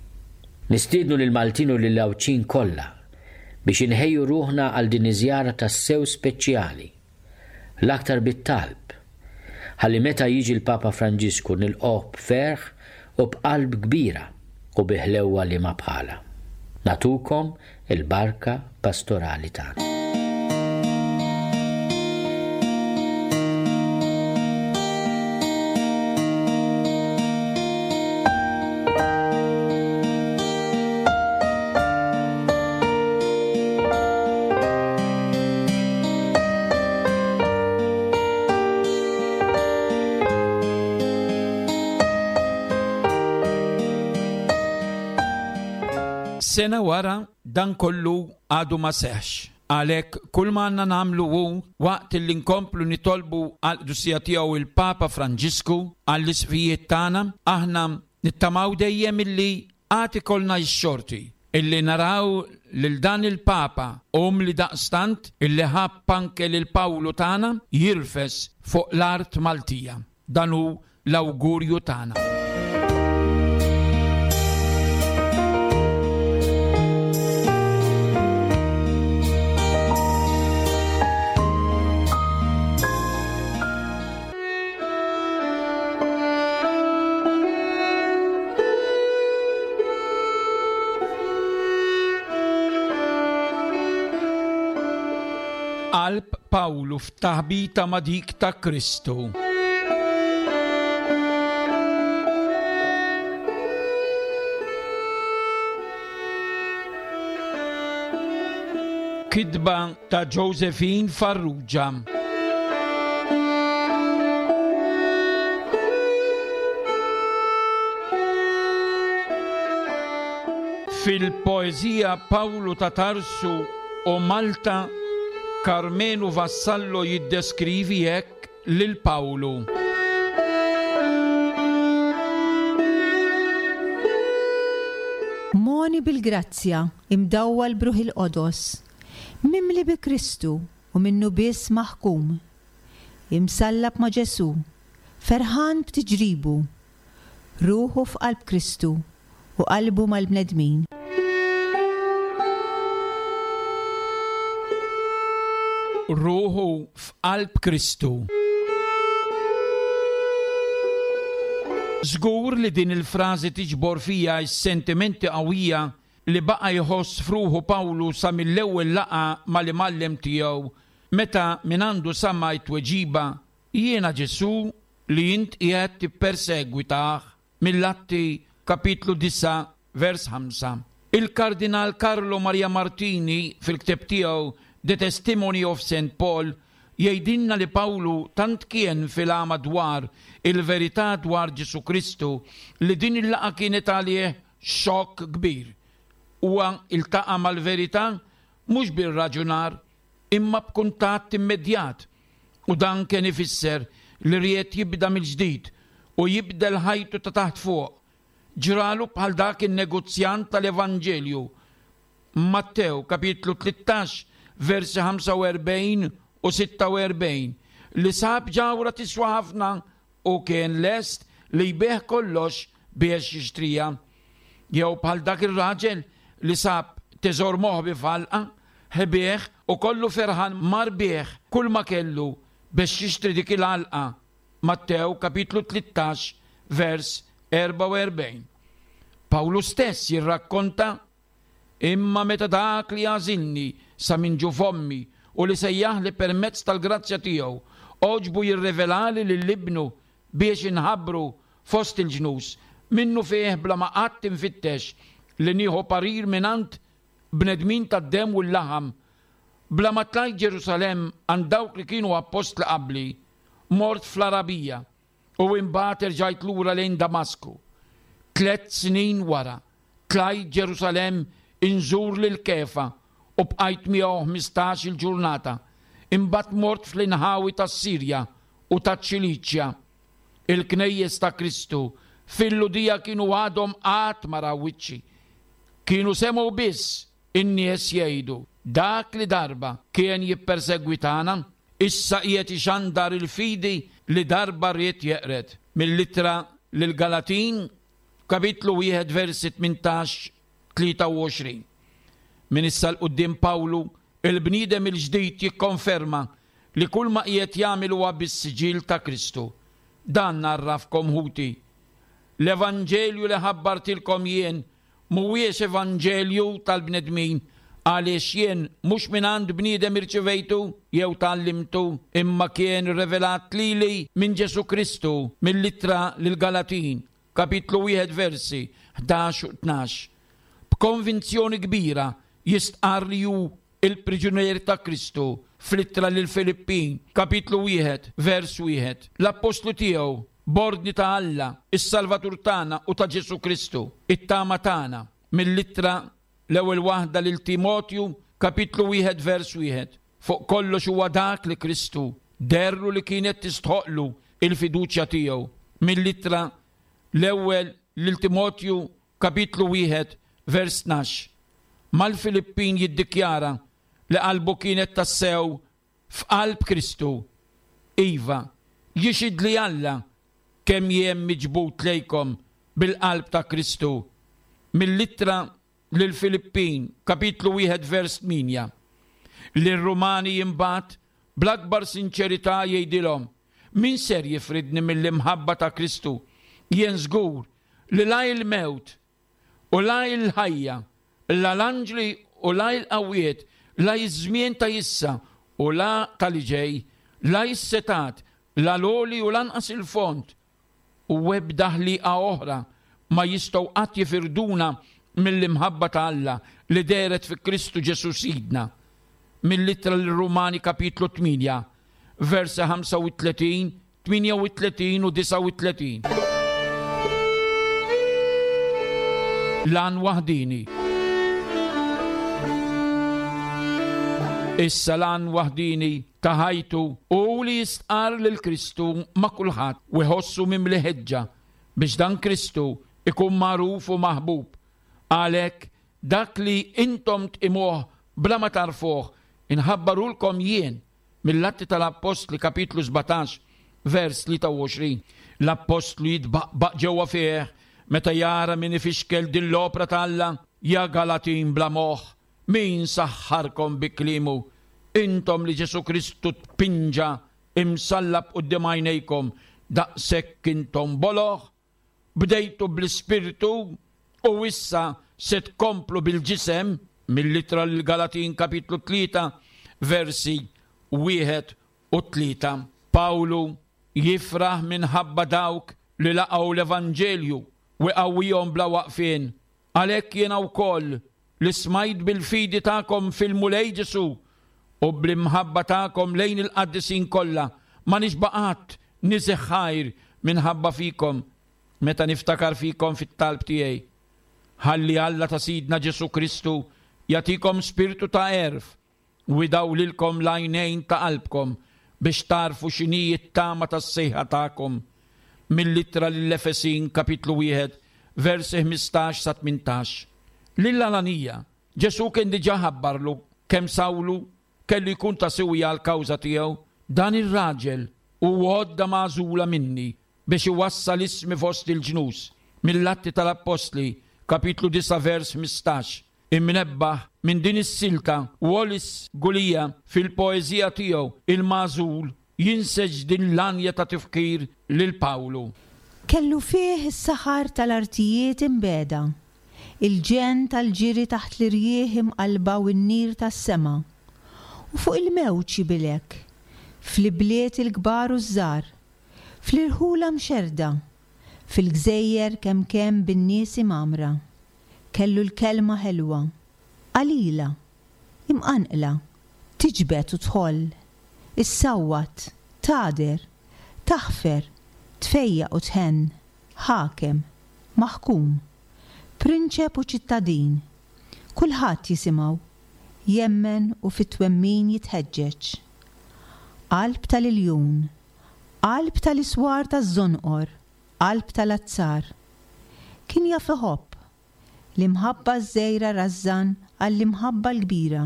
Nistiednu lil Maltin u lil Għawdxin kollha biex inħejju ruħna għal din iż-żjara tassew speċjali. L-aktar bit-talb. Ħalli meta jiġi l-Papa Franġisku nilqgħuh b'ferħ u b'qalb kbira u bi ħlewwa li ma bħala. Natukom il-barka pastorali tagħna. Sena wara dan kollu għadu ma seħx. Għalhekk kull ma għandna nagħmlu hu waqt li nkomplu nitolbu għall-qdusija tiegħu il-Papa Franġisku għall-isqfijiet tagħna, aħna nittamaw dejjem illi għad ikollna x-xorti illi naraw lil dan il-Papa umli daqstant illi ħabb anke lil Pawlu tagħna jirfes fuq l-art Maltija. Dan hu l-awgurju tagħna. Qalb Pawlu f'taħbita ma' dik ta' Kristu. Kitba ta' Josephine Farrugia. Fil-poeżija Pawlu ta' Tarsu u Malta, Karmenu Vassallo jiddeskrivi hekk lil Pawlu. Moni bil-grazzja imdawwal b'Ruħ il-Qodos, mimli bi Kristu u minnu biss maħkum. Imsallab ma' Ġesù, ferħan b'tiġribu, ruħu f'qalb Kristu u qalbu mal-bnedmin. Ruħu f'qalb Kristu. Żgur li din il-frażi tiġbor fija s-sentimenti qawwija li baqa' jħoss f'ruħu Pawlu sa mill-ewwel laqgħa mal-imgħallem tiegħu meta minn għandu sama t-tweġiba jiena Ġesù li int qiegħed tippersegwitah, mill-Atti kapitlu disgħa vers ħamsa. Il-Kardinal Carlo Maria Martini fil-ktieb tiegħu The Testimony of Saint Paul jgħidilna li Pawlu tant kien fil-għama dwar il-verità dwar Ġesù Kristu li din il-laqgħa kienet għalih xokk kbir. Huwa iltaqa' mal-verità mhux bir-raġunar imma b'kuntatt immedjat, u dan kien ifisser li ried jibda mill-ġdid u jibdel ħajtu ta' taħt fuq. Ġralu bħal dak in-negozjant tal-Evanġelju. Mattew kapitlu tlettax versi ħamsa u erbgħin u sitta u erbgħin li sab ġawra tiswa ħafna u kien lest li jbigħ kollox biex jixtrija. Jew bħal dak ir-raġel li sab teżor moħbi f'għalqa, ħbieħ u kollu ferħan mar bih kull ma kellu biex jixtri dik il-għalqa. Mattew kapitlu tlettax vers erbgħa u erbgħin. Pawlu stess jirrakkonta: imma meta dak li għażilni sa minn ġu fommi u li sejjaħli permezz tal-grazzja tiegħu għoġbu jirrevelali lil ibnu biex inħabbru fost il-ġnus, minnu fih bla ma qatt infittex li nieħu parir mingħand bnedmin tad-demm u l-laħam, bla ma tlajt Ġerusalemm għand dawk li kienu appostli qabli, mort fl-Arabija u imbagħad erġajt lura lejn Damasku. Tliet snin wara tlajt Ġerusalemm inżur lil Kefa u bqajt miegħu ħmistax il-ġurnata. Imbagħad mort fl-inħawi tas-Sirja u taċ-Ċiliċja. Il-knejjes ta' Kristu fil-Lhudija kienu għadhom qatt ma raw wiċċi. Kienu semgħu biss in-nies jgħidu: dak li darba kien jippersegwitana, issa qiegħed ixandar il-fidi li darba ried jeqred. Mill-ittra lil Galatin, kapitlu wieħed versi tmintax tlieta u għoxrin. Min issa l quddiem Pawlu, il-bniedem il-ġdid jikkonferma li kull ma qiegħed jagħmel huwa bis-siġill ta' Kristu. Dan narrafkom ħuti. L-Evanġelju li ħabbartilkom jien mhuwiex evanġelju tal-bnedmin, għaliex jien mhux mingħand bniedem irċivejtu jew tgħallimtu, imma kien rivelat lili minn Ġesù Kristu mill-ittra lill-Galatin, kapitlu wieħed versi ħdax u tnax. B'konvinzjoni kbira jistqarr li hu il-priġunier ta' Kristu fl-ittra lill-Filippin, kapitlu wieħed, vers wieħed. L-appostlu tiegħu, b'ordni ta' Alla, is-Salvatur tagħna u ta' Ġesù Kristu, it-tama tagħna, mill-ittra l-ewwel waħda lil Timotju, kapitlu wieħed, vers wieħed. Fuq kollox huwa dak li Kristu derru li kienet tistħoqlu il-fiduċja tiegħu. Mill-ittra l-ewwel lil Timotju, kapitlu wieħed, vers tnax. Mal-Filippin jiddikjara li qalbu kienet tassew f'qalb Kristu. Iva, jixhid li Alla kemm jien miġbud lejkom bil-qalb ta' Kristu. Mill-ittra lill-Filippin, kapitlu wieħed, vers tmienja. Lir-Rumani imbagħad bl-akbar sinċerità jgħidilhom: min ser jifridni mill-imħabba ta' Kristu? Jien żgur li la il-mewt u la il-ħajja, la l-anġli u la il-qawwiet, la iż-żmien ta' issa u la tal-ġej, la is-setat, la l-għoli u lanqas il-fond, u ebda ħliqa oħra ma jistgħu qatt jifirduna mill-imħabba ta' Alla li dehret fi Kristu Ġesù Sidna. Mill-ittra lir-Rumani kapitlu tmienja, versi ħamsa u tletin, tmienja u tletin u disgħa u tletin. Lan waħdini. Issa lan waħdini ta' ħajtu u li jistqar lil Kristu ma' kulħadd u jħossu mimli ħeġġa biex dan Kristu ikun magħruf u maħbub. Għalhekk dak li intom tqimuh bla ma tarfuh inħabbarulkom jien mill-Atti tal-Appostli kapitlu sbatax vers tlieta u għoxrin. L-Appostlu jitbaqbaq ġewwa fih meta jara min ifixkel din l-opra ta' Alla, ja Galatin bla moħħ, min saħħarkom bi kliemu, intom li Ġesù Kristu tpinġa imsallab quddiem għajnejkom, daqshekk intom boloh, bdejtu bl-Ispirtu u issa se tkomplu bil-ġisem, mill-ittra lill-Galatin kapitlu tlieta versi wieħed u tlieta. Pawlu jifraħ minħabba dawk li laqgħu l-Evanġelju u qawwihom bla waqfien. Għalhekk jiena wkoll li smajt bil-fidi tagħkom fil-Mulej Ġesù u bl-imħabba tagħkom lejn il-qaddisin kollha, ma nixba' qatt niżeħ ħajr minħabba fikom meta niftakar fikom fit-talb tiegħi. Ħalli Alla ta' Sidna Ġesù Kristu jagħtikom spirtu ta' għerf u jdawlilkom l-għajnejn ta' qalbkom biex tarfu x'inhi t-tama tas-sejħa tagħkom. Mill-ittra lill-Efesin kapitlu wieħed versi ħmistax sa tmintax. Lil Ananija, Ġesù kien diġà ħabbarlu kemm Sawlu kellu jkun ta' siwja għall-kawża tiegħu. Dan ir-raġel hu għodda magħżula minni biex iwassal ismi fost il-ġnus. Mill-Atti tal-Appostli, kapitlu disa' vers ħmistax. Imnebbaħ minn din is-silta Wallace Gulia fil-poeżija tiegħu Il-Magħżul jinseġ din l-anja ta' tifkir lil Pawlu. Kellu fih is-saħar tal-artijiet imbeda, il-ġenn tal-ġiri taħt l-irjieħ imqalba u n-nir tas-sema, u fuq il-mewġ jibilek, fl-ibliet il-kbar u ż-żgħar, fl-irħula mxerda, fil-gżejjer kemm kemm bin-nies imgħammra. Kellu l-kelma ħelwa, qalila, imqanqla, tiġbed u tħoll, issawwat, tagħder, taħfer, tfejjaq u tħenn, ħakem, maħkum, prinċep u ċittadin, kulħadd jisimgħu, jemmen u fit-twemmin jitħeġġeġ. Qalb tal-iljun, qalb tal-iswar taż-żonqor, qalb tal-azzar. Kien jaf iħobb, l-imħabba ż-żgħira rażżan għall-imħabba l-kbira,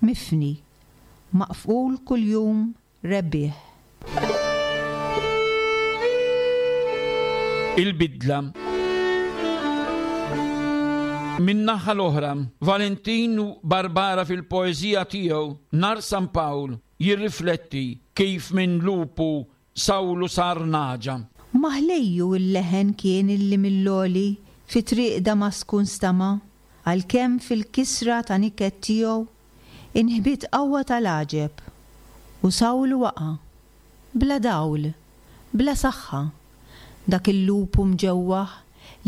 mifni, maqful kuljum rebbieħ. Il-bidla. Min-naħa l-oħra, Valentinu Barbara fil-poeżija tiegħu Nar San Pawl jirrifletti kif minn lupu Sawlu sar nagħġa. Ma ħlejju l-leħen kien illi mill-għoli fi triq Damasku nstama', għalkemm fil-kisra ta' niket tiegħu inħbiet qawwa tal-għaġeb u Sawlu waqa', bla dawl, bla saħħa, dak il-lupu mġewwaħ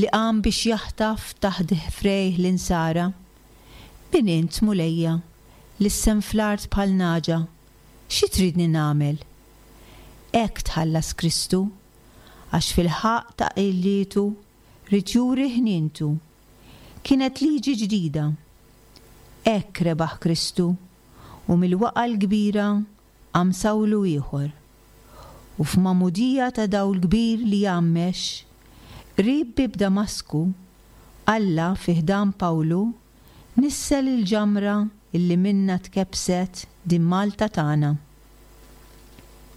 li qam biex jaħtaf taħt ħfrejh l-insara. Min int, Mulejja, lissen fl-art bħal nagħġa, xi tridni nagħmel? Hekk tħallas Kristu, għax fil-ħaqq ta' qillietu ried juri ħnientu. Kienet liġi ġdida. Hekk rebaħ Kristu u mill-waqgħa l-kbira qam Sawlu ieħor. U f'magħmudija ta' dawl kbir li jgħammex, qrib bieb Damasku, Alla fi ħdan Pawlu nissel il-ġamra illi minna tkebbset din Malta tagħna.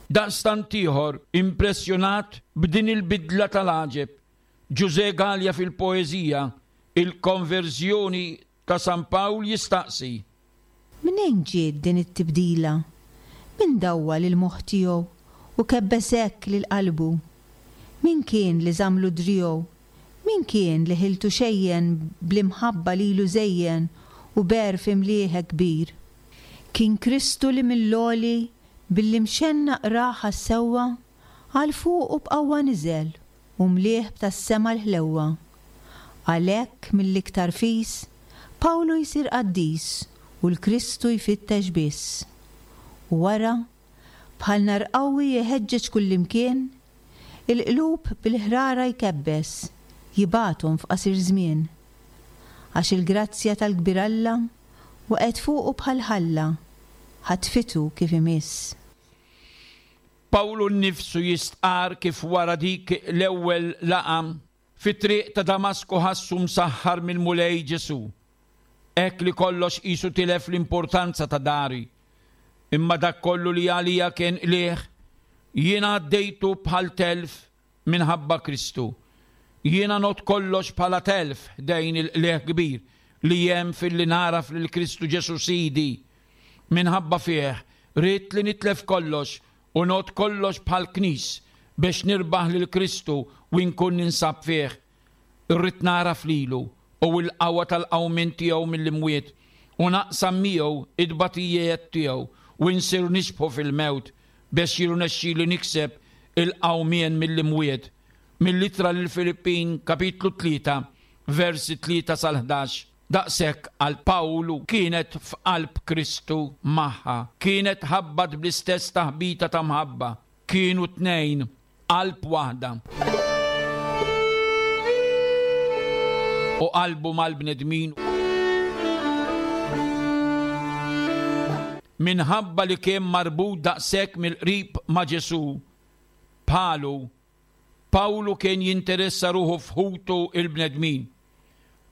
Daqstant ieħor impressjonat b'din il-bidla tal-għaġeb, Ġużè Galea fil-poeżija Il-Konverżjoni ta' San Pawl jistaqsi. Mnejn ġiet din it-tibdila? Min dawwal il-moħħ tiegħu u kebbes hekk lil qalbu? Min kien li żammlu driegħu? Min kien li ħiltu xejjen bl-imħabba lilu żejjen u b'għerf imlieh hekk kbir? Kien Kristu li mill-għoli billi mxennaq rah għas-sewwa, għal fuqu b'qawwa niżel u mlieh b'tas-sema l-ħlewwa. Għalhekk mill-iktar fis, Pawlu jsir qaddis u l-Kristu jfittex biss. U wara, bħal nar qawwi jħeġġeġ kullimkien, il-qlub bil-ħrara jkebbes, jibgħathom f'qasir żmien. Għax il-grazzja tal-kbir Alla waqgħet fuqu bħal ħalla, ħatfitu kif imiss. Pawlu nnifsu jistqarr kif wara dik l-ewwel laqgħa fit-triq ta' Damasku ħassu msaħħar mill-Mulej Ġesù. Hekk li kollox qisu tilef l-importanza ta' dari. Imma dak kollu li għalija kien qligħ, jiena għaddejtu bħal telf minħabba Kristu. Jiena ngħodd kollox bħala telf ħdejn il-qligħ kbir li hemm filli nagħraf lil Kristu Ġesù Sidi. Minħabba fih ridt li nitlef kollox u ngħodd kollox bħal knis biex nirbaħ lil Kristu u nkun ninsab fih. Irrid nagħraf lilu u l-qawwa tal-qawmien tiegħu mill-imwiet u naqsam miegħu id-batijiet tiegħu u nsir nixbħu fil-mewt biex jirnexxili nikseb il-qawmien mill-imwiet. Mill-ittra lil Filippin kapitlu tlieta versi tlieta sal-ħdax. Daqshekk għal Pawlu kienet f'qalb Kristu magħha, kienet ħabbat bl-istess taħbita ta' mħabba, kienu tnejn qalb waħda. U qalbu mal-bnedmin. Minħabba li kien marbut daqshekk mill-qrib ma' Ġesù, bħalu, Pawlu kien jinteressa ruħu f'ħutu il-bnedmin.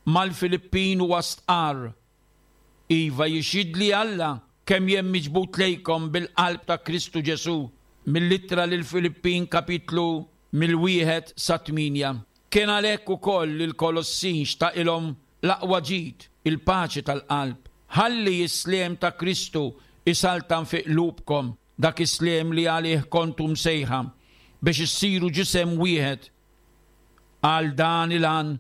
Mal-Filippin huwa stqarr, Iva jixhidli Alla kemm jien miġbud lejkom bil-qalb ta' Kristu Ġesù. Mill-ittra lil Filippin kapitlu mill-wieħed sa tminja. Kien għalhekk ukoll li l-Kolossin xtaqilhom l-aqwa ġid, il-paċi tal-qalb. Ħalli s-sliem ta' Kristu isaltan fi qlubkom, dak is-sliem li għalih kontu msejħa biex issiru ġisem wieħed. Għal dan il-għan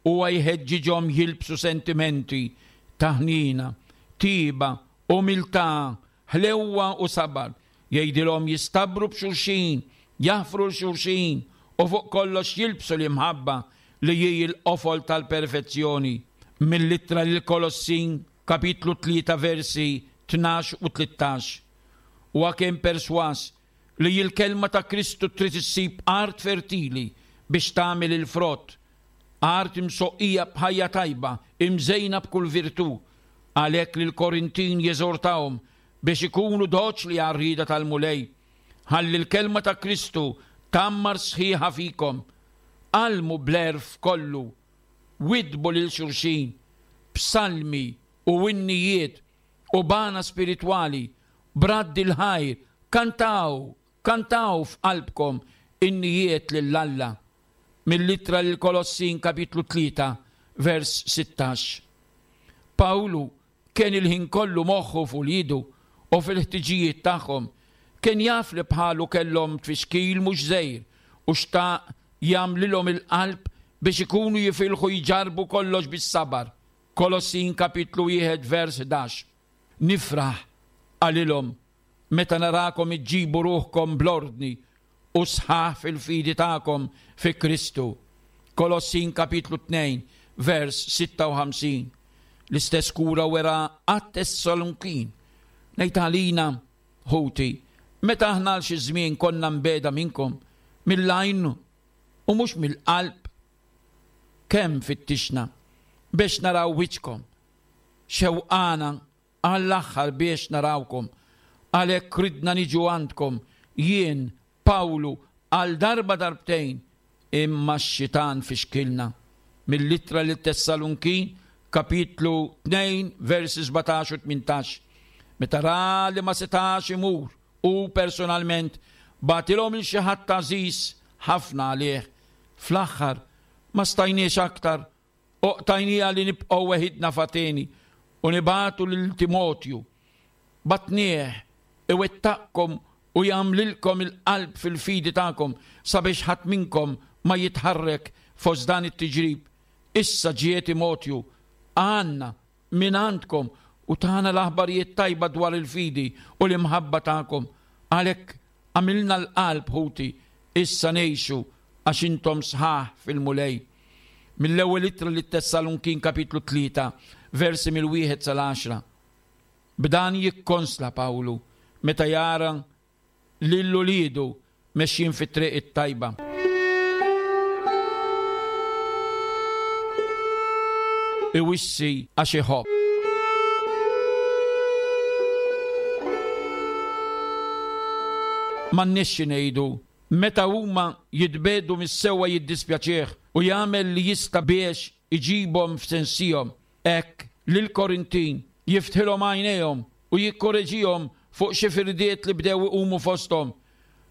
huwa jħeġġiġhom jilbsu sentimenti ta' ħnina, tiba, umiltà, ħlewwa u sabar. Jgħidilhom jistabru b'xulxin, jaħfru l-xulxin u fuq kollox jilbsu l-imħabba li hi l-qofol tal-perfezzjoni. Mill-ittra lil Kolossin kapitlu tlieta versi tnax u tlettax. Huwa kien perswas li l-kelma ta' Kristu trid issib art fertili biex tagħmel il-frott, art imsoqqija b'ħajja tajba, imżejna b'kull virtù. Għalhekk lil Korintin jeżortahom biex ikunu doċli għar-rieda tal-Mulej. Ħalli l-kelma ta' Kristu tammar sħiħa fikom. Għallmu bl-għerf kollu, widbu lil xulxin, b'salmi u innijiet u bana spiritwali, bradd il-ħajr, kantaw, kantaw f'qalbkom innijiet lil Alla. Mill-ittra lil Kolossin kapitlu tlieta vers sittax. Pawlu kien il-ħin kollu moħħu f'uliedu u u fil-ħtiġijiet tagħhom. Kien jaf li bħalu kellhom tfixkil mhux żgħir u xtaq jagħmlilhom il-qalb biex ikunu jifilħu jġarbu kollox bis-sabar. Kolossin kapitlu wieħed vers ħdax. Nifraħ qalilhom meta narakom iġġibu ruħkom bl-ordni u sħaħ fil-fidi tagħkom fi Kristu. Kolossin kapitlu tnejn vers sitta u ħamsin. L-istess kura wera għat-Tessalonikin. Ngħid għalina, ħuti, meta aħna għal xi żmien konna mbeda minnkom, mill-għajn u mhux mill-qalb, kemm fittixna biex naraw wiċċkom, xewqana għall-aħħar biex narawkom, għalhekk ridna niġu għandkom, jien, Pawlu, għal darba darbtejn, imma x-xitan fixkilna. Mill-ittra lil Tessalunkin, kapitlu tnejn, versi sbatax u tmintax. Meta ra li ma setax imur, u personalment bagħtilhom il xi ħadd għażiż ħafna għalih. Fl-aħħar ma stajniex aktar, u qtajnija li nibqgħu weħidna f'Ateni u nibagħtu lil Timotju. Batnieh iwettaqkom u jagħmlilkom il-qalb fil-fidi tagħkom sabiex ħadd minnkom ma jitħarrek fost dan it-tiġrib. Issa ġie Timotju għandna minn għandkom u tagħna l-aħbarijiet tajba dwar il-fidi u l-imħabba tagħkom. Għalhekk għamilna l-qalb, ħuti, issa ngħixu għax intom sħaħ fil-Mulej. Mill-ewwel ittra lit-Tessalunkin kapitlu tlieta, versi mill-wieħed sal-għaxra. B'dan jikkonsla Pawlu meta jara lil uliedu mexjin fit-triq it-tajba. Iwissi għax iħobb. M'għandniex xi ngħidu, meta huma jitbedu mis-sewwa jiddispjaċih u jagħmel li jista' biex iġibhom f'sensihom. Hekk lill-Korintin jiftħilhom għajnejhom u jikkoreġihom fuq xi firdiet li bdew iqumu fosthom.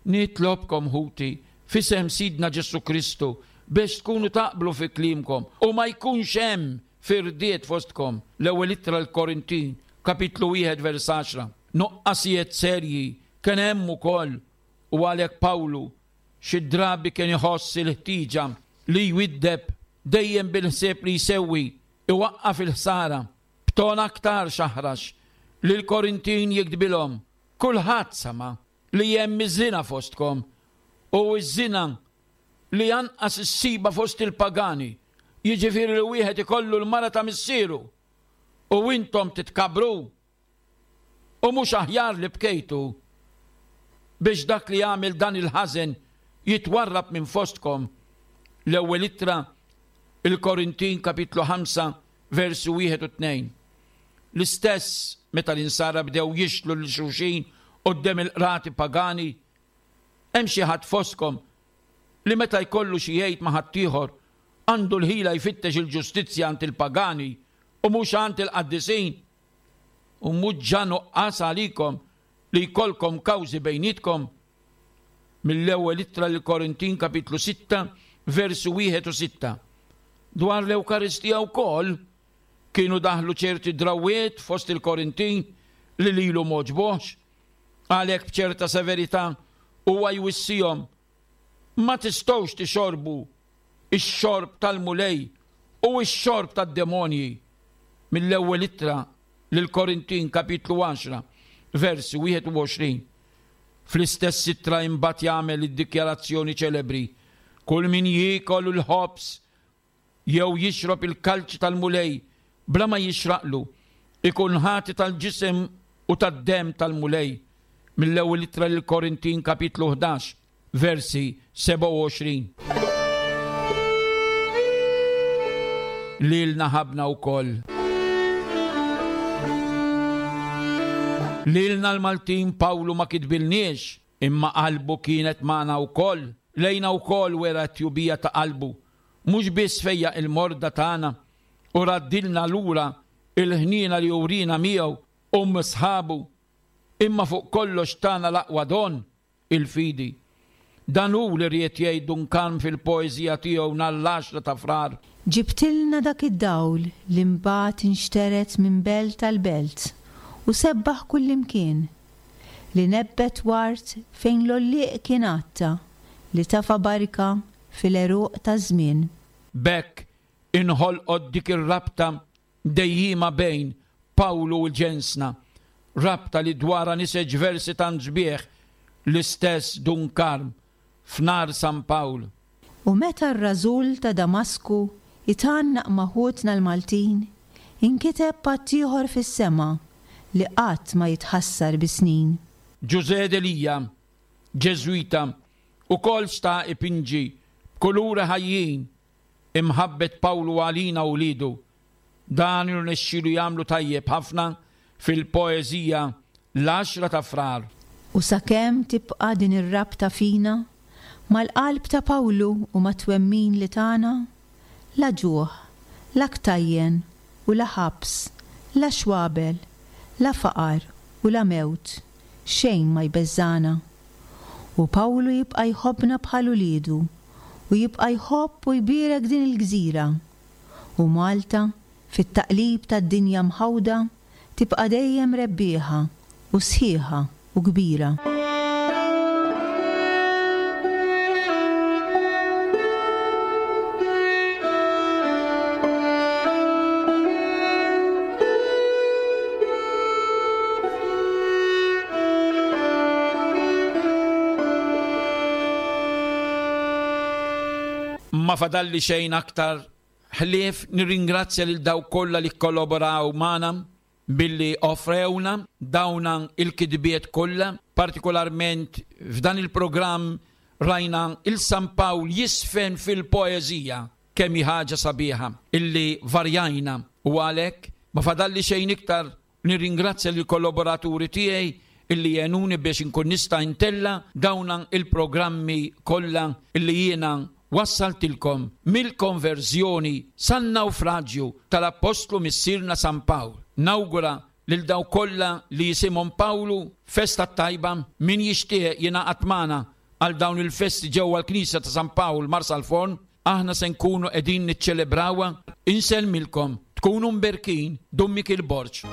Nitlobkom, ħuti, f'isem Sidna Ġesù Kristu, biex tkunu taqblu fi kliemkom u ma jkunx hemm firdiet fostkom. L-ewwel ittra l-Korintin, kapitlu wieħed vers għaxra. Nuqqasijiet serji kien hemm ukoll, u għalhekk Pawlu xi drabi kien iħoss il-ħtieġa li jwiddeb dejjem bil-ħsieb li jsewwi, iwaqqaf il-ħsara. B'ton aktar xaħrax lil Korintin jiktbilhom, kulħadd sama li hemm iż-żina fostkom, u ż-żina li anqas issiba fost il-pagani, jiġifieri li wieħed ikollu l-mara ta' missieru, u intom titkabru, u mhux aħjar li bkejtu biex dak li jagħmel dan il-ħażen jitwarrab minn fostkom. L-ewwel ittra il-Korintin kapitlu ħamsa versi wieħed u tnejn. L-istess meta l-insara bdew jixtlu lil xulxin quddiem il-qrati pagani, hemm xi ħadd fostkom li meta jkollu xi jgħid ma' ħaddieħor għandu l-ħila jfittex il-ġustizzja għand il-pagani u mhux għand il-qaddisin. U mhux ġa nuqqas għalikom li jkollkom kawżi bejnietkom. Mill-ewwel ittra lil Korintin kapitlu sitta versi wieħed u sitta. Dwar l-Ewkaristija wkoll kienu daħlu ċerti drawwiet fost il-Korintin li lilu m'għoġbuhx. Għalhekk b'ċerta severità huwa jwissihom, ma tistgħux tixorbu ix-xorb tal-Mulej u x-xorb tad-demonji. Mill-ewwel ittra lil Korintin kapitlu għaxra versi wieħed u għoxrin. Fl-istess ittra imbagħad jagħmel id-dikjarazzjoni ċelebri, kull min jiekol il-ħobż jew jixrob il-kalċi tal-Mulej bla ma jixraqlu, ikun ħati tal-ġisem u tad-demm tal-Mulej. Mill-ewwel ittra lil Korintin kapitlu ħdax versi sebgħa u għoxrin. Lilna ħabna wkoll. Lilna l-Maltin Pawlu ma kitbilniex, imma qalbu kienet magħna wkoll. Lejna wkoll wera t-tjubija ta' qalbu, mhux biss fejja il-morda tagħna u raddilna lura il-ħniena li urina miegħu u sħabu, imma fuq kollox tagħna l-aqwa don, il-fidi. Dan hu li ried jgħid Dun Karm fil-poeżija tiegħu nhar l-għaxra ta' Frar. Ġibtilna dak id-dawl li mbagħad inxteret minn belt għal belt u sebbaħ kullimkien. li nebbet ward fejn l-għollieq kien għatta, li tafa barka fil-għeruq taż-żmien. B'hekk inħolqot dik ir-rabta dejjima bejn Pawlu u ġensna, rabta li dwarha niseġ versi tant sbieħ l-istess Dun Karm f'Nar San Pawl. U meta r-rażul ta' Damasku jitgħannaq ma' ħutna l-Maltin, inkiteb patt ieħor fis-sema li qatt ma jitħassar bis-snin. Ġużè Delia, Ġeżwita, ukoll sta ipinġi b'kuluri ħajjin imħabbet Pawlu għalina u wliedu. Dan irnexxielu jagħmlu tajjeb ħafna fil-poeżija L-Għaxra ta' Frar. U sakemm tibqa' din ir-rabta fina mal-qalb ta' Pawlu u mat-twemmin li tana, la ġuħ, la ktajjen u la ħabs, la xwabel, la faqar u la mewt, xejn ma jbeżżagħna. U Pawlu jibqa' jħobbna bħal uliedu u jibqa' jħobb u jbierek din il-gżira. U Malta, fit-taqlib tad-dinja mħawda, tibqa' dejjem rebbieħa u sħiħa u kbira. Ma fadalli xejn aktar ħlief nirringrazzja lil dawk kollha li kkollaboraw magħna billi offrewna dawna il-kitbiet kollha, partikolarment f'dan il-programm rajna il-San Pawl jisfen fil-poeżija, kemm hi ħaġa sabiħa illi varjajna, u għalhekk ma fadalli xejn iktar nirringrazzja lill kollaboraturi tiegħi illi jenuni biex inkun nista' ntella dawna il-programmi kollha illi jiena wassaltilkom mill-konverżjoni san-nawfraġju tal-Appostlu Missierna San Pawl. Nawgura lil dawk kollha li jisimhom Pawlu festa tajba, min jixtieq jingħaqad magħna għal dawn il-festi ġewwa l-Knisja ta' San Pawl Marsalforn, aħna se nkunu qegħdin niċċelebrawha. Insellmilkom, tkunu mberkin, Dun Mikiel Borg.